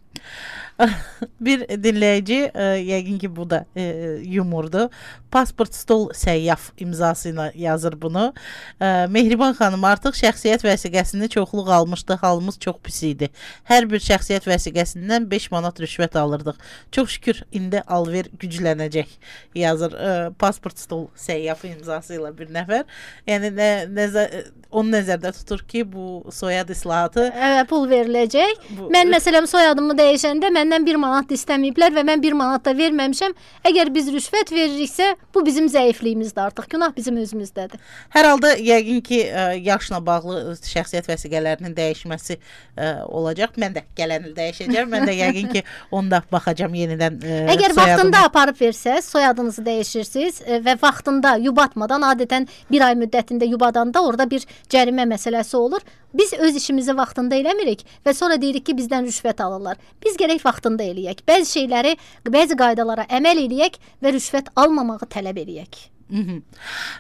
Bir dinləyici, e, yəqin ki bu da e, yumordur. Pasport stol səyyaf imzasıyla yazır bunu. E, Mehriban xanım, artıq şəxsiyyət vəsiqəsini çoxluq almışdı, halımız çox pis idi. Hər bir şəxsiyyət vəsiqəsindən beş manat rüşvət alırdıq. Çox şükür indi alver güclənəcək, yazır e, pasport stol səyyaf imzasıyla bir nəfər. Yəni nə, nəzər, onu nəzərdə tutur ki, bu soyad islahatı Evet, pul veriləcək. Bu, Mən məsələn soyadımı dəyişəndə məndən bir manat istəməyiblər və mən bir manat da verməmişəm. Əgər biz rüşvət veririksə, bu bizim zəifliyimizdir artıq. Günah bizim özümüzdədir. Hər halda yəqin ki, yaşla bağlı şəxsiyyət vəsiqələrinin dəyişməsi ə, olacaq. Mən də gələn il dəyişəcəm. Mən də yəqin ki, onda baxacam yenidən ə, Əgər soyadımı. vaxtında aparıb versəz, soyadınızı dəyişirsiniz ə, və vaxtında yubatmadan, adətən bir ay müddətində yubadanda orada bir cərimə məsələsi olur. Biz öz işimizi vaxtında eləmirik və sonra deyirik ki, bizdən rüşvət alırlar. Biz gərək vaxtında eləyək. Bəzi şeyləri, bəzi qaydalara əməl eləyək və rüşvət almamağı tələb eləyək. Hı -hı.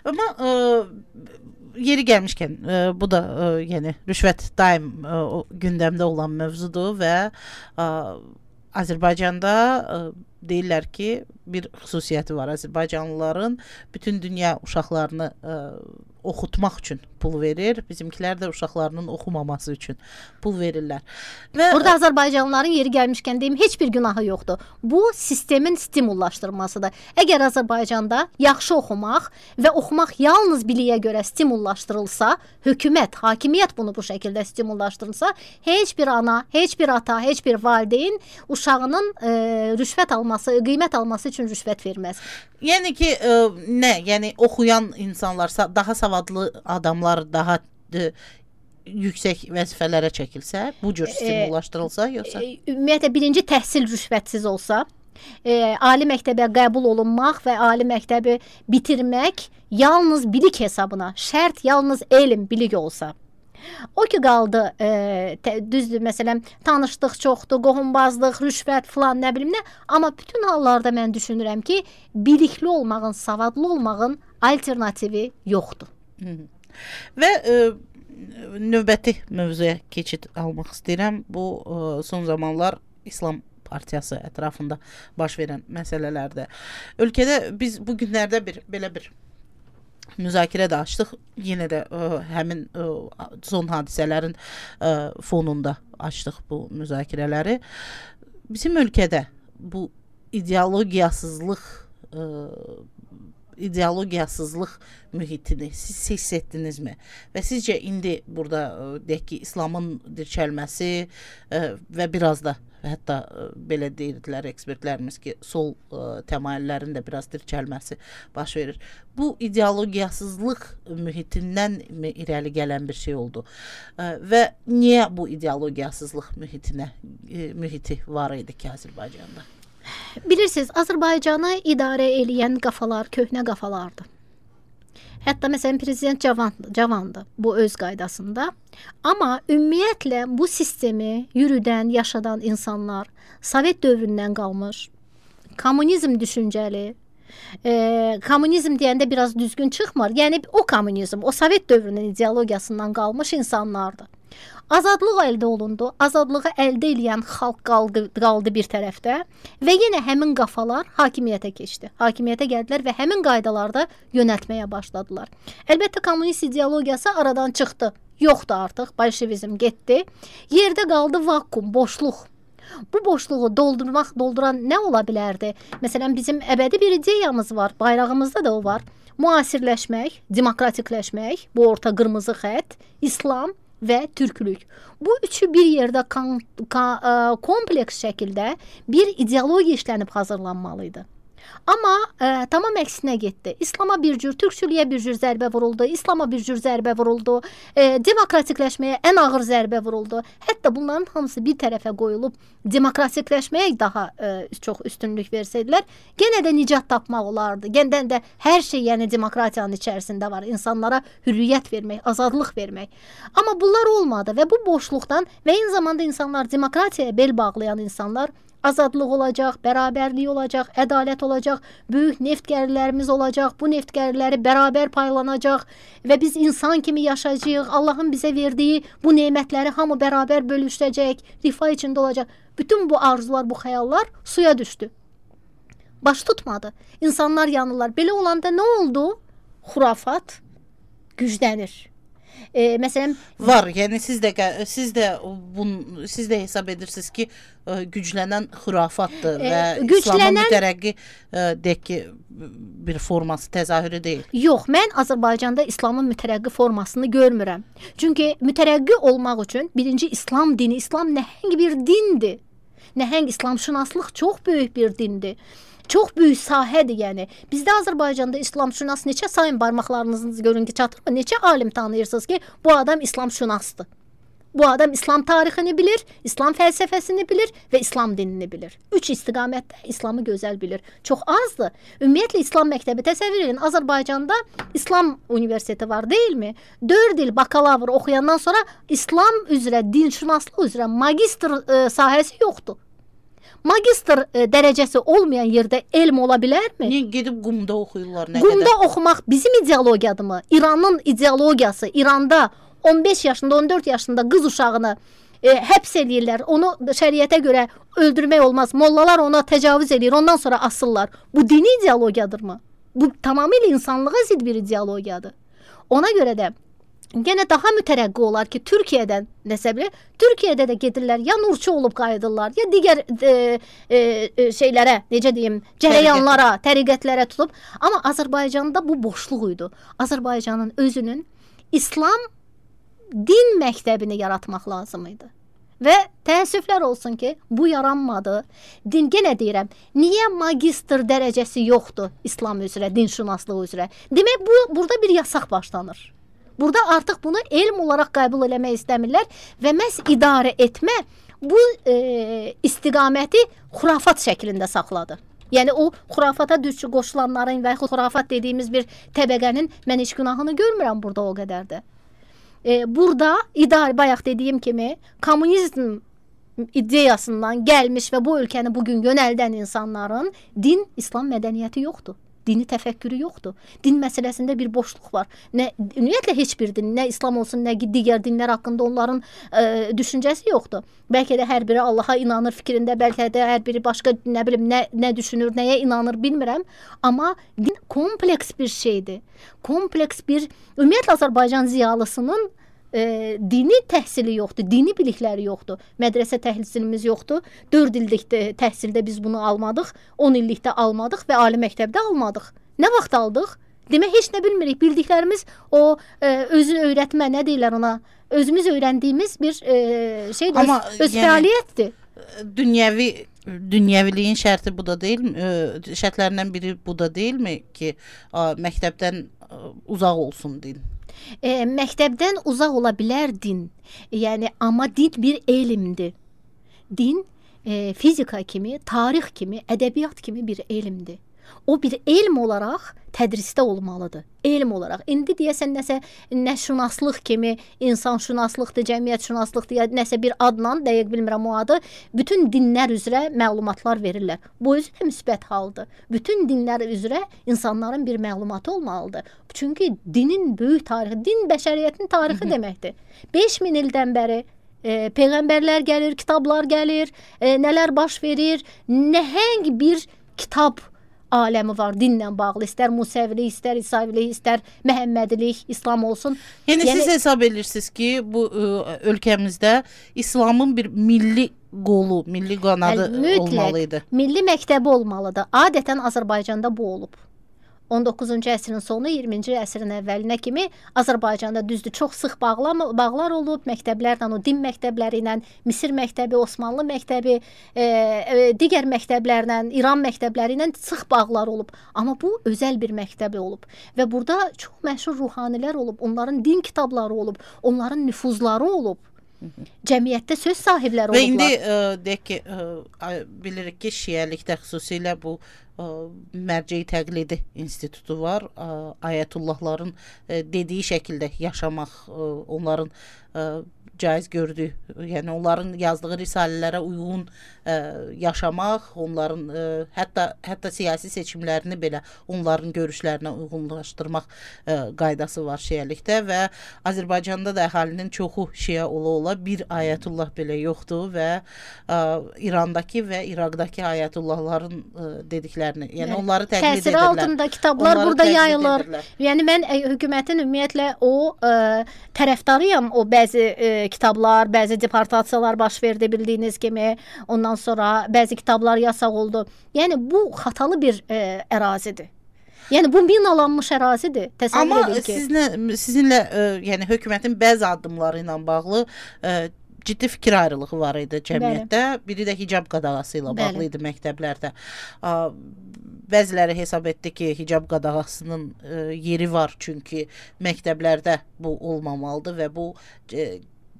Amma ə, yeri gəlmişkən, ə, bu da ə, yəni rüşvət daim ə, gündəmdə olan mövzudur və ə, Azərbaycanda ə, deyirlər ki, bir xüsusiyyəti var. Azərbaycanlıların bütün dünya uşaqlarını ə, oxutmaq üçün pul verir. Bizimkilər də uşaqlarının oxumaması üçün pul verirlər. Və burada Azərbaycanlıların yeri gəlmişkən deyim, heç bir günahı yoxdur. Bu sistemin stimullaşdırmasıdır. Əgər Azərbaycanda yaxşı oxumaq və oxumaq yalnız biliyə görə stimullaşdırılsa, hökumət, hakimiyyət bunu bu şəkildə stimullaşdırılsa, heç bir ana, heç bir ata, heç bir valideyn uşağının e, rüşvət alması, qiymət alması üçün rüşvət verməz. Yəni ki, e, nə? Yəni oxuyan insanlar, daha savadlı adamlar daha e, yüksək vəzifələrə çəkilsə, bu cür stimullaşdırılsa, yoxsa? E, ümumiyyətlə birinci təhsil rüşvətsiz olsa, e, ali məktəbə qəbul olunmaq və ali məktəbi bitirmək yalnız bilik hesabına, şərt yalnız elm, bilik olsa. O ki qaldı, e, tə, düzdür, məsələn, tanışlıq çoxdur, qohumbazlıq, rüşvət filan, nə bilim nə, amma bütün hallarda mən düşünürəm ki, bilikli olmağın, savadlı olmağın alternativi yoxdur. Hı -hı. Və e, növbəti mövzuya keçid almaq istəyirəm. Bu e, son zamanlar İslam Partiyası ətrafında baş verən məsələlərdə. Ölkədə biz bu günlərdə bir belə bir müzakirə də açdıq. Yenə də ə, həmin ə, son hadisələrin ə, fonunda açdıq bu müzakirələri. Bizim ölkədə bu ideologiyasızlıq ə, ideologiyasızlıq mühitini siz hiss etdinizmi? Və sizcə indi burada ə, deyək ki, İslamın dirçəlməsi ə, və biraz da hətta ə, belə deyirdilər ekspertlərimiz ki, sol ə, təmayüllərin də biraz dirçəlməsi baş verir. Bu ideologiyasızlıq mühitindən mi irəli gələn bir şey oldu? Ə, və niyə bu ideologiyasızlıq mühitinə ə, mühiti var idi ki, Azərbaycanda? Bilirsiniz, Azərbaycanı idarə eləyən qafalar köhnə qafalardır. Hətta məsələn prezident cavandır, cavandır bu öz qaydasında. Amma ümumiyyətlə bu sistemi yürüdən, yaşadan insanlar Sovet dövründən qalmış, kommunizm düşüncəli, e, kommunizm deyəndə biraz düzgün çıxmır. Yəni o kommunizm, o Sovet dövrünün ideologiyasından qalmış insanlardır. Azadlıq əldə olundu. Azadlığı əldə edən xalq qaldı, qaldı bir tərəfdə və yenə həmin qafalar hakimiyyətə keçdi. Hakimiyyətə gəldilər və həmin qaydalarda yönəltməyə başladılar. Əlbəttə kommunist ideologiyası aradan çıxdı. Yoxdur artıq. Bolşevizm getdi. Yerdə qaldı vakuum, boşluq. Bu boşluğu doldurmaq, dolduran nə ola bilərdi? Məsələn, bizim əbədi bir ideyamız var. Bayrağımızda da o var. Müasirləşmək, demokratikləşmək, bu orta qırmızı xətt, İslam və türklük. Bu üçü bir yerdə kan, kan, kompleks şəkildə bir ideologiya işlənib hazırlanmalıydı. Amma e, tamam əksinə getdi. İslama bir cür, türkçülüyə bir cür zərbə vuruldu, İslama bir cür zərbə vuruldu, e, demokratikləşməyə ən ağır zərbə vuruldu. Hətta bunların hamısı bir tərəfə qoyulub demokratikləşməyə daha e, çox üstünlük versəydilər, yenə də nicat tapmaq olardı. Yenə də hər şey, yəni demokratiyanın içərisində var. İnsanlara hürriyyət vermək, azadlıq vermək. Amma bunlar olmadı və bu boşluqdan və eyni zamanda insanlar, demokratiyaya bel bağlayan insanlar, azadlıq olacaq, bərabərlik olacaq, ədalət olacaq, böyük neft gəlirlərimiz olacaq, bu neft gəlirləri bərabər paylanacaq və biz insan kimi yaşayacağıq, Allahın bizə verdiyi bu nemətləri hamı bərabər bölüşəcək, rifah içində olacaq. Bütün bu arzular, bu xəyallar suya düşdü. Baş tutmadı. İnsanlar yanırlar. Belə olanda nə oldu? Xurafat güclənir. E, məsələn var. Yəni siz də siz də bun siz də hesab edirsiniz ki, güclənən xurafatdır e, və güclənən, İslamın mütərəqqi deyək ki, bir forması təzahürü deyil. Yox, mən Azərbaycanda İslamın mütərəqqi formasını görmürəm. Çünki mütərəqqi olmaq üçün birinci İslam dini, İslam nəhəng bir dindir. Nəhəng İslamşünaslıq çox böyük bir dindir. Çox böyük sahədir, yəni. Bizdə Azərbaycanda İslamşünas neçə sayın barmaqlarınızı görün ki, çatırmı? Neçə alim tanıyırsınız ki, bu adam İslamşünasdır. Bu adam İslam tarixini bilir, İslam fəlsəfəsini bilir və İslam dinini bilir. Üç istiqamətdə İslamı gözəl bilir. Çox azdır. Ümumiyyətlə İslam məktəbi təsəvvür edin. Azərbaycanda İslam universiteti var, deyilmi? dörd il bakalavr oxuyandan sonra İslam üzrə, dinşünaslıq üzrə magistr e, sahəsi yoxdur. Magistr e, dərəcəsi olmayan yerdə elm ola bilərmi? Niyə gedib qumda oxuyurlar? Nə qumda qədər? oxumaq bizim ideologiyadırmı? İranın ideologiyası, İranda on beş yaşında, on dörd yaşında qız uşağını e, həbs eləyirlər. Onu şəriətə görə öldürmək olmaz. Mollalar ona təcavüz eləyir, ondan sonra asırlar. Bu dini ideologiyadırmı? Bu tamamilə insanlığa zidd bir ideologiyadır. Ona görə də yenə daha mütərəqqi olar ki, Türkiyədən nəsə bilir, Türkiyədə də gedirlər, ya nurçu olub qayıdırlar, ya digər e, e, şeylərə, necə deyim, cərəyanlara, təriqətlərə tutub. Amma Azərbaycanda bu boşluq idi. Azərbaycanın özünün İslam din məktəbini yaratmaq lazım idi. Və təəssüflər olsun ki, bu yaranmadı. Din, yenə deyirəm, niyə magistr dərəcəsi yoxdur İslam üzrə, dinşünaslığı üzrə? Demək, bu, burada bir yasaq başlanır. Burada artıq bunu elm olaraq qəbul eləmək istəmirlər və məhz idarə etmə bu e, istiqaməti xurafat şəklində saxladı. Yəni o xurafata düşü qoşulanların və xurafat dediyimiz bir təbəqənin mən heç günahını görmürəm burada o qədər də. E, burada idarə, bayaq dediyim kimi, kommunizm ideyasından gəlmiş və bu ölkəni bugün yönəldən insanların din, İslam mədəniyyəti yoxdur. Dini təfəkkürü yoxdur. Din məsələsində bir boşluq var. Nə ümumiyyətlə heç bir din, nə İslam olsun, nə digər dinlər haqqında onların e, düşüncəsi yoxdur. Bəlkə də hər biri Allaha inanır fikrində, bəlkə də hər biri başqa nə bilim nə nə düşünür, nəyə inanır bilmirəm, amma din kompleks bir şeydir. Kompleks bir ümumiyyətlə Azərbaycan ziyalısının E, dini təhsili yoxdur, dini bilikləri yoxdur. Mədrəsə təhsilimiz yoxdur. dörd illik təhsildə biz bunu almadıq, on illikdə almadıq və ali məktəbdə almadıq. Nə vaxt aldıq? Demək, heç nə bilmirik. Bildiklərimiz o e, özü öyrətmə, nə deyirlər ona? Özümüz öyrəndiyimiz bir e, şeydir, Amma, öz yəni, fəaliyyətdir. Dünyəvi dünyəviliyin şərti bu da deyilmi? E, şərtlərindən biri bu da deyilmi ki, a, məktəbdən a, uzaq olsun din? E, məktəbdən uzaq ola bilər din. Yəni, amma din bir elmdir. Din e, fizika kimi, tarix kimi, ədəbiyyat kimi bir elmdir. O bir elm olaraq tədrisdə olmalıdır. Elm olaraq. İndi deyəsən nəsə nəşünaslıq kimi, insanşünaslıqdır, cəmiyyətşünaslıqdır, ya nəsə bir adla, dəqiq bilmirəm o adı, bütün dinlər üzrə məlumatlar verirlər. Bu özü də müsbət haldır. Bütün dinlər üzrə insanların bir məlumatı olmalıdır. Çünki dinin böyük tarixi, din bəşəriyyətin tarixi deməkdir. beş min ildən bəri e, peyğəmbərlər gəlir, kitablar gəlir, e, nələr baş verir, nəhəng bir kitab aləmi var dinlə bağlı. İstər Musəvilik, istər İsavilik, istər Məhəmmədilik, İslam olsun. Yəni, yəni siz hesab edirsiniz ki, bu ə, ölkəmizdə İslamın bir milli qolu, milli qanadı mütləq, olmalıydı. Milli məktəbi olmalıdır. Adətən Azərbaycanda bu olub. on doqquzuncu əsrin sonu, iyirminci əsrin əvvəlinə kimi Azərbaycanda düzdür, çox sıx bağlam, bağlar olub, məktəblərlə, o din məktəbləri ilə, Misir məktəbi, Osmanlı məktəbi, e, e, digər məktəblərlə, İran məktəbləri ilə sıx bağlar olub. Amma bu özəl bir məktəbi olub. Və burada çox məşhur ruhanilər olub, onların din kitabları olub, onların nüfuzları olub. Cəmiyyətdə söz sahibləri olublar. Və indi ə, deyək ki, ə, bilirik ki, şiəlikdə xüsusilə bu ə, mərcəyi təqlidi institutu var. Ə, ayətullahların ə, dediyi şəkildə yaşamaq, ə, onların ə, caiz gördüyü, yəni onların yazdığı risalələrə uyğun ə, yaşamaq, onların ə, hətta hətta siyasi seçimlərini belə onların görüşlərinə uyğunlaşdırmaq ə, qaydası var şiəlikdə və Azərbaycanda da əhalinin çoxu şiə ola-ola bir ayətullah belə yoxdur və ə, İrandakı və İraqdakı ayətullahların ə, dediklərini, yəni evet, onları təqlid təsiri edirlər. Təsiri altında kitablar onları burada yayılır. Edirlər. Yəni mən ə, hökumətin ümumiyyətlə o ə, tərəfdarıyam, o bəzi ə, kitablar, bəzi deportasiyalar baş verdi bildiyiniz kimi, ondan sonra bəzi kitablar yasaq oldu. Yəni bu xatalı bir e, ərazidir. Yəni bu minalanmış ərazidir. Təsəvvür Amma edin ki. Amma sizinlə e, yəni hökumətin bəzi addımları ilə bağlı e, ciddi fikir ayrılığı var idi cəmiyyətdə. Bəli. Biri də hicab qadağası ilə bağlı idi məktəblərdə. A, bəziləri hesab etdi ki, hicab qadağasının e, yeri var, çünki məktəblərdə bu olmamalıdır və bu e,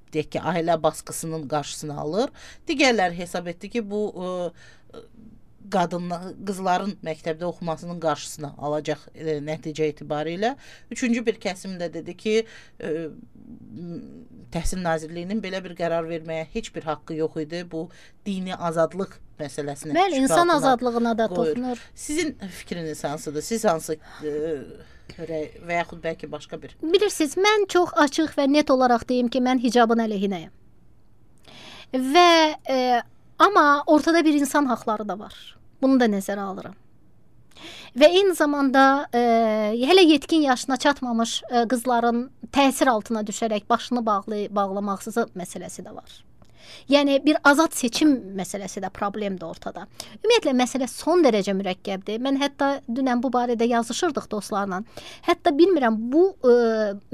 deyək ki, ailə baskısının qarşısını alır. Digərləri hesab etdi ki, bu e, qadınlar, qızların məktəbdə oxumasının qarşısını alacaq e, nəticə etibarilə. Üçüncü bir kəsim də dedi ki, e, Təhsil Nazirliyinin belə bir qərar verməyə heç bir haqqı yox idi. Bu dini azadlıq məsələsini. Bəli, insan azadlığına da toxunur. Sizin fikriniz hansıdır? Siz hansı e, və yaxud bəlkə başqa bir? Bilirsiniz, mən çox açıq və net olaraq deyim ki, mən hicabın əleyhinəyəm. Və e, amma ortada bir insan haqları da var. Bunu da nəzərə alıram. Və eyni zamanda e, hələ yetkin yaşına çatmamış e, qızların təsir altına düşərək başını bağlı, bağlamaqsızı məsələsi də var. Yəni bir azad seçim məsələsi də problemdir ortada. Ümumiyyətlə məsələ son dərəcə mürəkkəbdir. Mən hətta dünən bu barədə yazışırdıq dostlarla. Hətta bilmirəm bu e,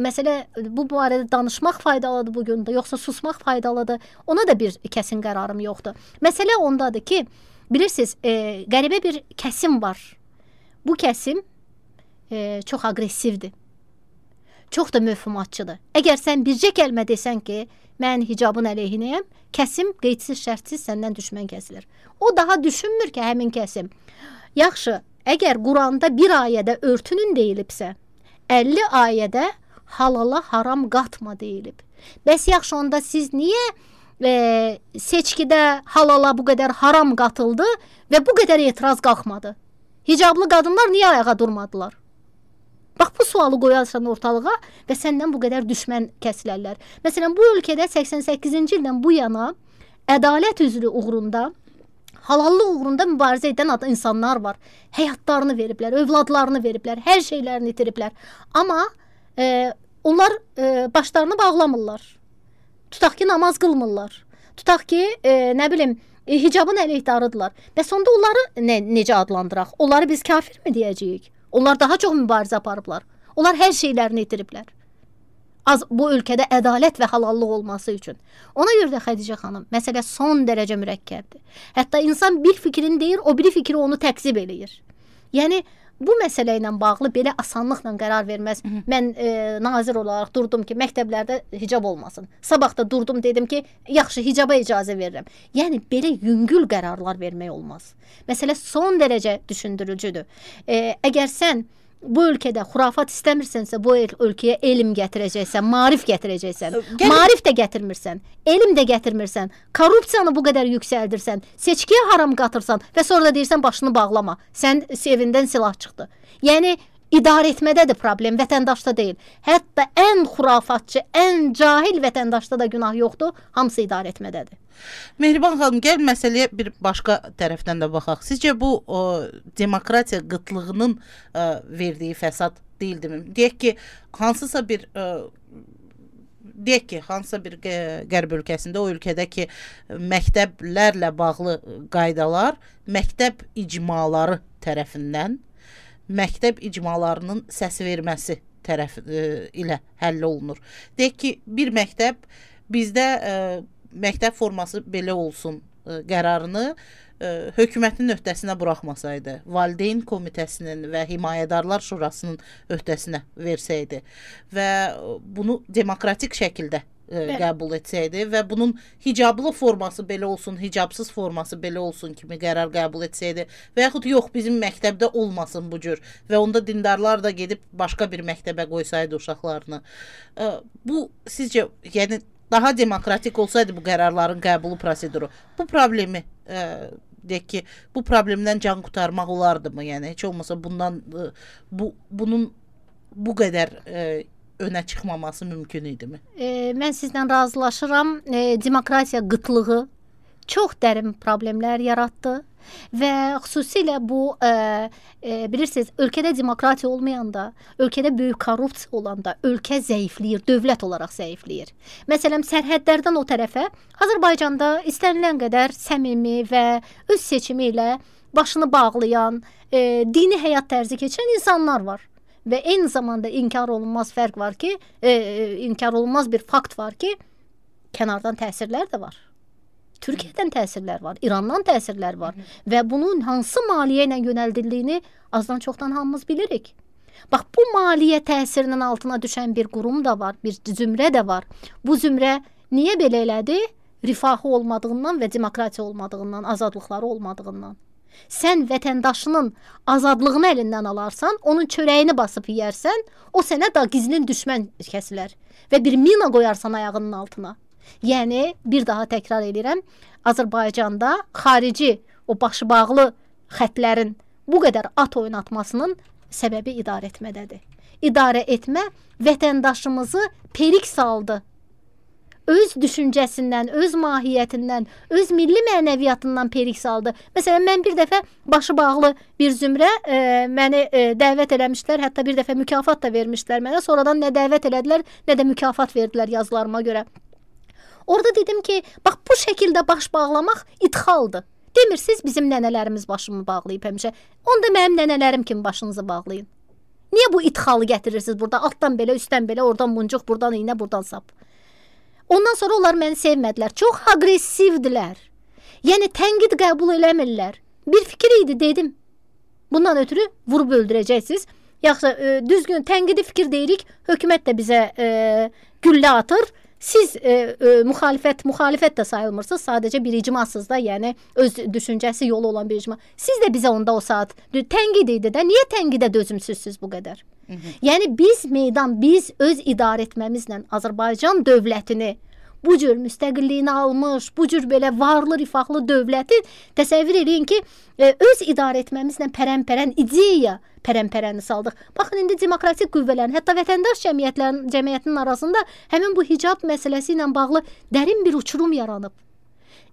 məsələ bu barədə danışmaq faydalıdır bu gün də, yoxsa susmaq faydalıdır. Ona da bir kəsin qərarım yoxdur. Məsələ ondadır ki, bilirsiniz, e, qəribə bir kəsim var. Bu kəsim e, çox aqressivdir. Çox da mövhumatçıdır. Əgər sən bircə kəlmə desən ki, mən hicabın əleyhinəyəm, kəsim qeydsiz şərtsiz səndən düşmən kəsilir. O daha düşünmür ki, həmin kəsim. Yaxşı, əgər Quranda bir ayədə örtünün deyilibsə, əlli ayədə halala haram qatma deyilib. Bəs yaxşı, onda siz niyə e, seçkidə halala bu qədər haram qatıldı və bu qədər etiraz qalxmadı? Hicablı qadınlar niyə ayağa durmadılar? Bax, bu sualı qoyarsan ortalığa və səndən bu qədər düşmən kəsilərlər. Məsələn, bu ölkədə səksən səkkizinci ildən bu yana ədalət üzrü uğrunda, halallıq uğrunda mübarizə edən insanlar var. Həyatlarını veriblər, övladlarını veriblər, hər şeylərini itiriblər. Amma e, onlar e, başlarını bağlamırlar. Tutaq ki, namaz qılmırlar. Tutaq ki, e, nə bilim, e, hicabın əleyhdarıdırlar. Bəs onda onları nə, necə adlandıraq? Onları biz kafir mi deyəcəyik? Onlar daha çox mübarizə aparıblar. Onlar hər şeylərini itiriblər. Az bu ölkədə ədalət və halallıq olması üçün. Ona görə də Xədicə xanım, məsələ son dərəcə mürəkkəbdir. Hətta insan bir fikrini deyir, o biri fikri onu təkzib eləyir. Yəni bu məsələ ilə bağlı belə asanlıqla qərar verməz. Hı -hı. Mən e, nazir olaraq durdum ki, məktəblərdə hicab olmasın. Sabah da durdum, dedim ki, yaxşı, hicaba icazə verirəm. Yəni belə yüngül qərarlar vermək olmaz. Məsələ son dərəcə düşündürücüdür. E, əgər sən bu ölkədə xurafat istəmirsənsə, bu ölkəyə elm gətirəcəksən, maarif gətirəcəksən. Gəlin. Maarif də gətirmirsən, elm də gətirmirsən, korrupsiyanı bu qədər yüksəldirsən, seçkiyə haram qatırsan və sonra da deyirsən başını bağlama. Sən evindən silah çıxdı. Yəni idarə etmədədir problem, vətəndaşda deyil. Hətta ən xurafatçı, ən cahil vətəndaşda da günah yoxdur, hamısı idarə etmədədir. Mehriban xanım, gəl məsələyə bir başqa tərəfdən də baxaq. Sizcə bu o, demokratiya qıtlığının ə, verdiyi fəsad deyildimi? Deyək ki, hansısa bir ə, deyək ki, hansısa bir qərb ölkəsində, o ölkədəki məktəblərlə bağlı qaydalar məktəb icmaları tərəfindən, məktəb icmalarının səs verməsi tərəf ə, ilə həll olunur. Deyək ki, bir məktəb bizdə ə, məktəb forması belə olsun ə, qərarını ə, hökumətin öhdəsinə buraxmasaydı, valideyn komitəsinin və himayədarlar şurasının öhdəsinə versəydi və bunu demokratik şəkildə ə, qəbul etsəydi və bunun hicablı forması belə olsun, hicabsız forması belə olsun kimi qərar qəbul etsəydi və yaxud yox, bizim məktəbdə olmasın bu cür və onda dindarlar da gedib başqa bir məktəbə qoysaydı uşaqlarını. Ə, bu sizcə, yəni daha demokratik olsaydı bu qərarların qəbulu proseduru, bu problemi ə, deyək ki, bu problemdən can qurtarmaq olardımı? Yəni heç olmasa bundan ə, bu bunun bu qədər ə, önə çıxmaması mümkün idimi? E, mən sizlə razılaşıram. E, demokratiya qıtlığı çox dərin problemlər yaratdı və xüsusilə bu e, e, bilirsiniz, ölkədə demokratiya olmayanda, ölkədə böyük korrupsiya olanda ölkə zəifləyir, dövlət olaraq zəifləyir. Məsələn, sərhədlərdən o tərəfə Azərbaycanda istənilən qədər səmimi və öz seçimi ilə başını bağlayan, e, dini həyat tərzi keçirən insanlar var. Və eyni zamanda inkar olunmaz fərq var ki, e, inkar olunmaz bir fakt var ki, kənardan təsirlər də var. Türkiyədən təsirlər var, İrandan təsirlər var. Hı -hı. Və bunun hansı maliyyə ilə yönəldildiyini azdan çoxdan hamımız bilirik. Bax, bu maliyyə təsirinin altına düşən bir qurum da var, bir zümrə də var. Bu zümrə niyə belə elədi? Rifahı olmadığından və demokratiya olmadığından, azadlıqları olmadığından. Sən vətəndaşının azadlığını əlindən alarsan, onun çörəyini basıb yeyərsən, o sənə da gizlin düşmən kəsilər və bir mina qoyarsan ayağının altına. Yəni, bir daha təkrar edirəm, Azərbaycanda xarici, o başı bağlı xətlərin bu qədər at oynatmasının səbəbi idarə etmədədir. İdarə etmə vətəndaşımızı perik saldı. öz düşüncəsindən, öz mahiyyətindən, öz milli mənəviyyatından perik saldı. Məsələn, mən bir dəfə başı bağlı bir zümrə e, məni e, dəvət eləmişlər, hətta bir dəfə mükafat da vermişlər mənə. Sonradan nə dəvət elədilər, nə də mükafat verdilər yazılarıma görə. Orada dedim ki, bax bu şəkildə baş bağlamaq idxaldır. Demirsiniz bizim nənələrimiz başımı bağlayıb həmişə. Onda mənim nənələrim kimi başınızı bağlayın. Niyə bu idxalı gətirirsiniz burada? Altdan belə, üstdən belə, oradan muncuq, buradan iynə, buradan sap. Ondan sonra onlar məni sevmədilər. Çox aqressivdilər. Yəni tənqid qəbul eləmirlər. Bir fikir idi, dedim. Bundan ötürü vurub öldürəcəksiniz. Yaxşı, e, düzgün tənqidi fikir deyirik. Hökumət də bizə e, güllə atır. Siz e, e, müxalifət, müxalifət də sayılmırsınız. Sadəcə bir icmasınız da, yəni öz düşüncəsi yolu olan bir icma. Siz də bizə onda o saat tənqid idi də. Niyə tənqidə dözümsüzsüz bu qədər? Hı -hı. Yəni biz meydan, biz öz idarə etməmizlə Azərbaycan dövlətini bu cür müstəqilliyini almış, bu cür belə varlı, rifahlı dövləti təsəvvür edin ki, e, öz idarə etməmizlə pərən-pərən ideya pərən-pərəni saldıq. Baxın, indi demokratik qüvvələrin, hətta vətəndaş cəmiyyətlərin, cəmiyyətinin arasında həmin bu hicab məsələsi ilə bağlı dərin bir uçurum yaranıb.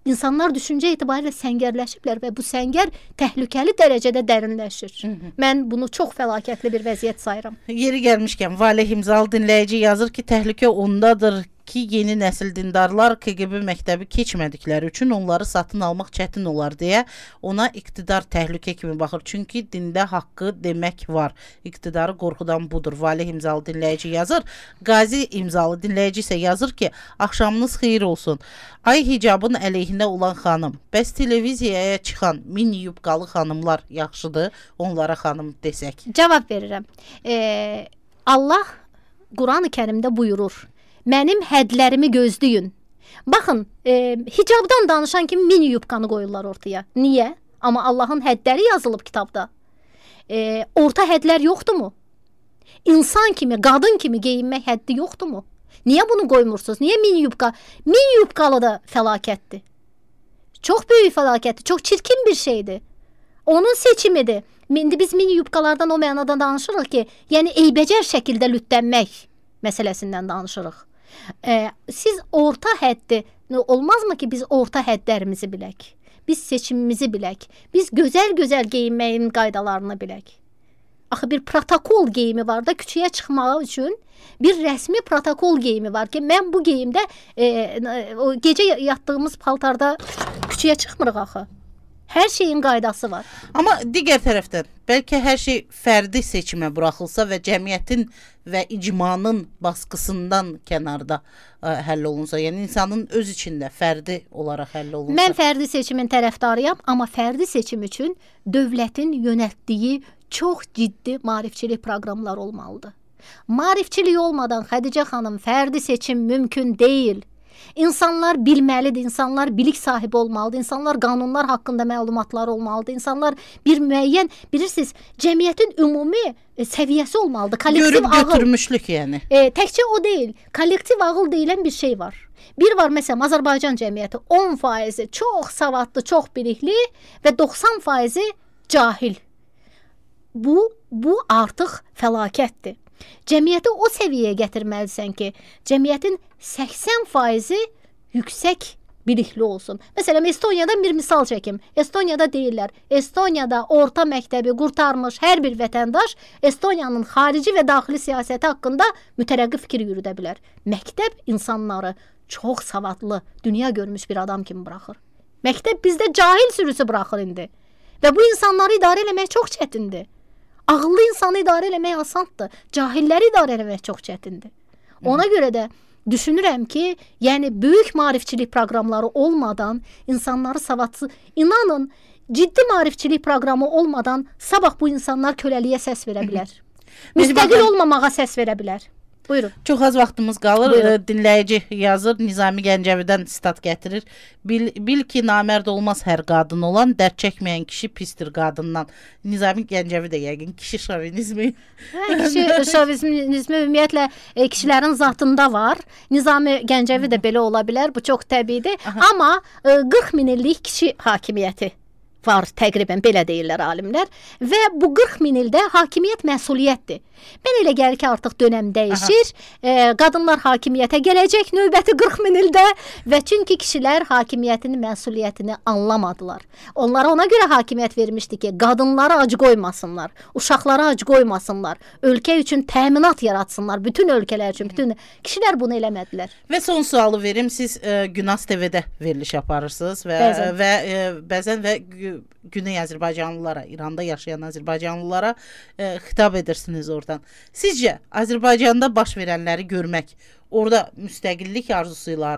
İnsanlar düşüncə etibarilə səngərləşiblər və bu səngər təhlükəli dərəcədə dərinləşir. Hı -hı. Mən bunu çox fəlakətli bir vəziyyət sayıram. Yeri gəlmişkən, Valeh İmzalı dinləyici yazır ki, təhlükə ondadır ki, yeni nəsil dindarlar K G B məktəbi keçmədikləri üçün onları satın almaq çətin olar deyə ona iqtidar təhlükə kimi baxır. Çünki dində haqqı demək var. İqtidarı qorxudan budur. Valeh İmzalı dinləyici yazır. Qazi İmzalı dinləyici isə yazır ki, axşamınız xeyir olsun. Ay hicabın əleyhinə olan xanım, bəs televiziyaya çıxan mini yubqalı xanımlar yaxşıdır, onlara xanım desək? Cavab verirəm. Ee, Allah Quran-ı Kərimdə buyurur. Mənim hədlərimi gözləyin. Baxın, e, hicabdan danışan kimi mini yubqanı qoyurlar ortaya. Niyə? Amma Allahın hədləri yazılıb kitabda. E, orta hədlər yoxdurmu? İnsan kimi, qadın kimi geyinmək həddi yoxdurmu? Niyə bunu qoymursunuz? Niyə mini yubqa? Mini yubqalı da fəlakətdir. Çox böyük fəlakətdir, çox çirkin bir şeydir. Onun seçimidir. İndi biz mini yubqalardan o mənada danışırıq ki, yəni eybəcər şəkildə lütlənmək məsələsindən danışırıq. Ee, siz orta həddi, olmazmı ki biz orta həddlərimizi bilək? Biz seçimimizi bilək. Biz gözəl-gözəl geyinməyin qaydalarını bilək. Axı bir protokol geyimi var da küçəyə çıxmağı üçün bir rəsmi protokol geyimi var ki, mən bu geyimdə e, o gecə yatdığımız paltarda küçəyə çıxmırıq axı. Hər şeyin qaydası var. Amma digər tərəfdən, bəlkə hər şey fərdi seçimə buraxılsa və cəmiyyətin və icmanın baskısından kənarda ə, həll olunsa, yəni insanın öz içində fərdi olaraq həll olunsa. Mən fərdi seçimin tərəfdarıyam, amma fərdi seçim üçün dövlətin yönəltdiyi çox ciddi maarifçilik proqramları olmalıdır. Maarifçilik olmadan Xədicə xanım fərdi seçim mümkün deyil. İnsanlar bilməlidir, insanlar bilik sahibi olmalıdır, insanlar qanunlar haqqında məlumatları olmalıdır, insanlar bir müəyyən, bilirsiniz, cəmiyyətin ümumi e, səviyyəsi olmalıdır. Kollektiv Görüb ağıl. götürmüşlük yəni. E, təkcə o deyil, kollektiv ağıl deyilən bir şey var. Bir var məsələn Azərbaycan cəmiyyəti on faizi çox savadlı, çox bilikli və doxsan faizi cahil. Bu, bu artıq fəlakətdir. Cəmiyyəti o səviyyəyə gətirməlisən ki, cəmiyyətin səksən faizi yüksək bilikli olsun. Məsələn, Estoniyadan bir misal çəkim. Estoniyada deyirlər, Estoniyada orta məktəbi qurtarmış hər bir vətəndaş Estoniyanın xarici və daxili siyasəti haqqında mütərəqqi fikir yürüdə bilər. Məktəb insanları çox savadlı, dünya görmüş bir adam kimi buraxır. Məktəb bizdə cahil sürüsü buraxır indi. Və bu insanları idarə eləmək çox çətindir. Ağıllı insanı idarə eləmək asandır. Cahilləri idarə eləmək çox çətindir. Ona görə də düşünürəm ki, yəni böyük maarifçilik proqramları olmadan insanları savadsız, inanın, ciddi maarifçilik proqramı olmadan sabah bu insanlar köləliyə səs verə bilər. Müstəqil olmamağa səs verə bilər. Buyurun. Çox az vaxtımız qalır. Buyurun. Dinləyici yazır, Nizami Gəncəvidən sitat gətirir. Bil, bil ki, namərd olmaz hər qadın olan, dərd çəkməyən kişi pistir qadından. Nizami Gəncəvi də yəqin kişi şovinizmi. Hə, kişi şovinizmi ümumiyyətlə e, kişilərin zatında var. Nizami Gəncəvi də belə ola bilər. Bu çox təbiidir. Aha. Amma e, qırx min illik kişi hakimiyyəti var, təqribən belə deyirlər alimlər və bu qırx min ildə hakimiyyət məsuliyyətdir. Mən elə gəlir ki, artıq dönəm dəyişir. E, qadınlar hakimiyyətə gələcək növbəti qırx min ildə və çünki kişilər hakimiyyətin məsuliyyətini anlamadılar. Onlara ona görə hakimiyyət vermişdi ki, qadınlara ac qoymasınlar, uşaqlara ac qoymasınlar, ölkə üçün təminat yaratsınlar, bütün ölkələr üçün, bütün kişilər bunu eləmədilər. Və son sualı verim, siz e, Günaz T V-də veriliş aparırsınız və bəzən və e, bəzən və Güney Azərbaycanlılara, İranda yaşayan Azərbaycanlılara e, xitab edirsiniz oradan. Sizcə Azərbaycanda baş verənləri görmək, orada müstəqillik arzusuyla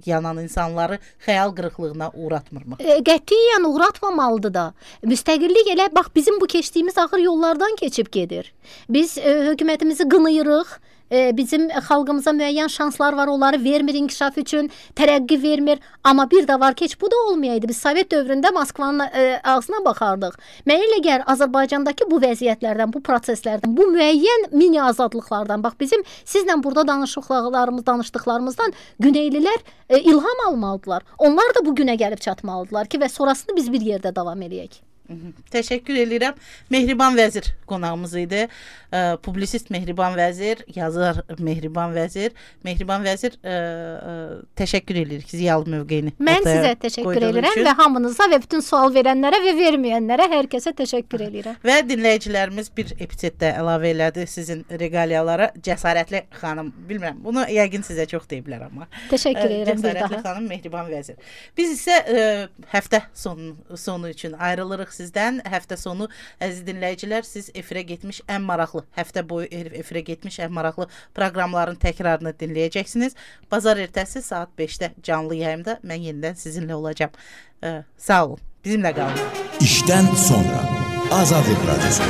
yanan insanları xəyal qırıqlığına uğratmırmı? E, qətiyyən uğratmamalıdır da. Müstəqillik elə bax bizim bu keçdiyimiz ağır yollardan keçib gedir. Biz e, hökumətimizi qınayırıq. Bizim xalqımıza müəyyən şanslar var, onları vermir inkişaf üçün, tərəqqi vermir. Amma bir də var ki, heç bu da olmayaydı. Biz Sovet dövründə Moskvanın e, ağzına baxardıq. Mən elə gəlir Azərbaycandakı bu vəziyyətlərdən, bu proseslərdən, bu müəyyən mini azadlıqlardan, bax bizim sizlə burada danışıqlarımız, danışdıqlarımızdan Güneylilər e, ilham almalıdılar. Onlar da bu günə gəlib çatmalıdılar ki, və sonrasını biz bir yerdə davam eləyək. Təşəkkür edirəm. Mehriban Vəzir qonağımız idi. E, publisist Mehriban Vəzir, yazar Mehriban Vəzir. Mehriban Vəzir, e, e, təşəkkür edirik ziyalı mövqeyini. Mən sizə təşəkkür edirəm və hamınıza və bütün sual verənlərə və verməyənlərə hər kəsə təşəkkür edirəm. Və dinləyicilərimiz bir epizodda əlavə elədi sizin regaliyalara. Cəsarətli xanım, bilmirəm, bunu yəqin sizə çox deyiblər amma. Təşəkkür edirəm bir daha. Cəsarətli xanım Mehriban Vəzir. Biz isə e, həftə sonu, sonu üçün ayrılırıq sizdən. Həftə sonu əziz dinləyicilər, siz efirə getmiş ən maraqlı, həftə boyu efirə getmiş ən maraqlı proqramların təkrarını dinləyəcəksiniz. Bazar ertəsi saat beşdə canlı yayımda mən yenidən sizinlə olacağam. Ee, sağ olun, bizimlə qalın. İşdən sonra Azadlıq Radiosu.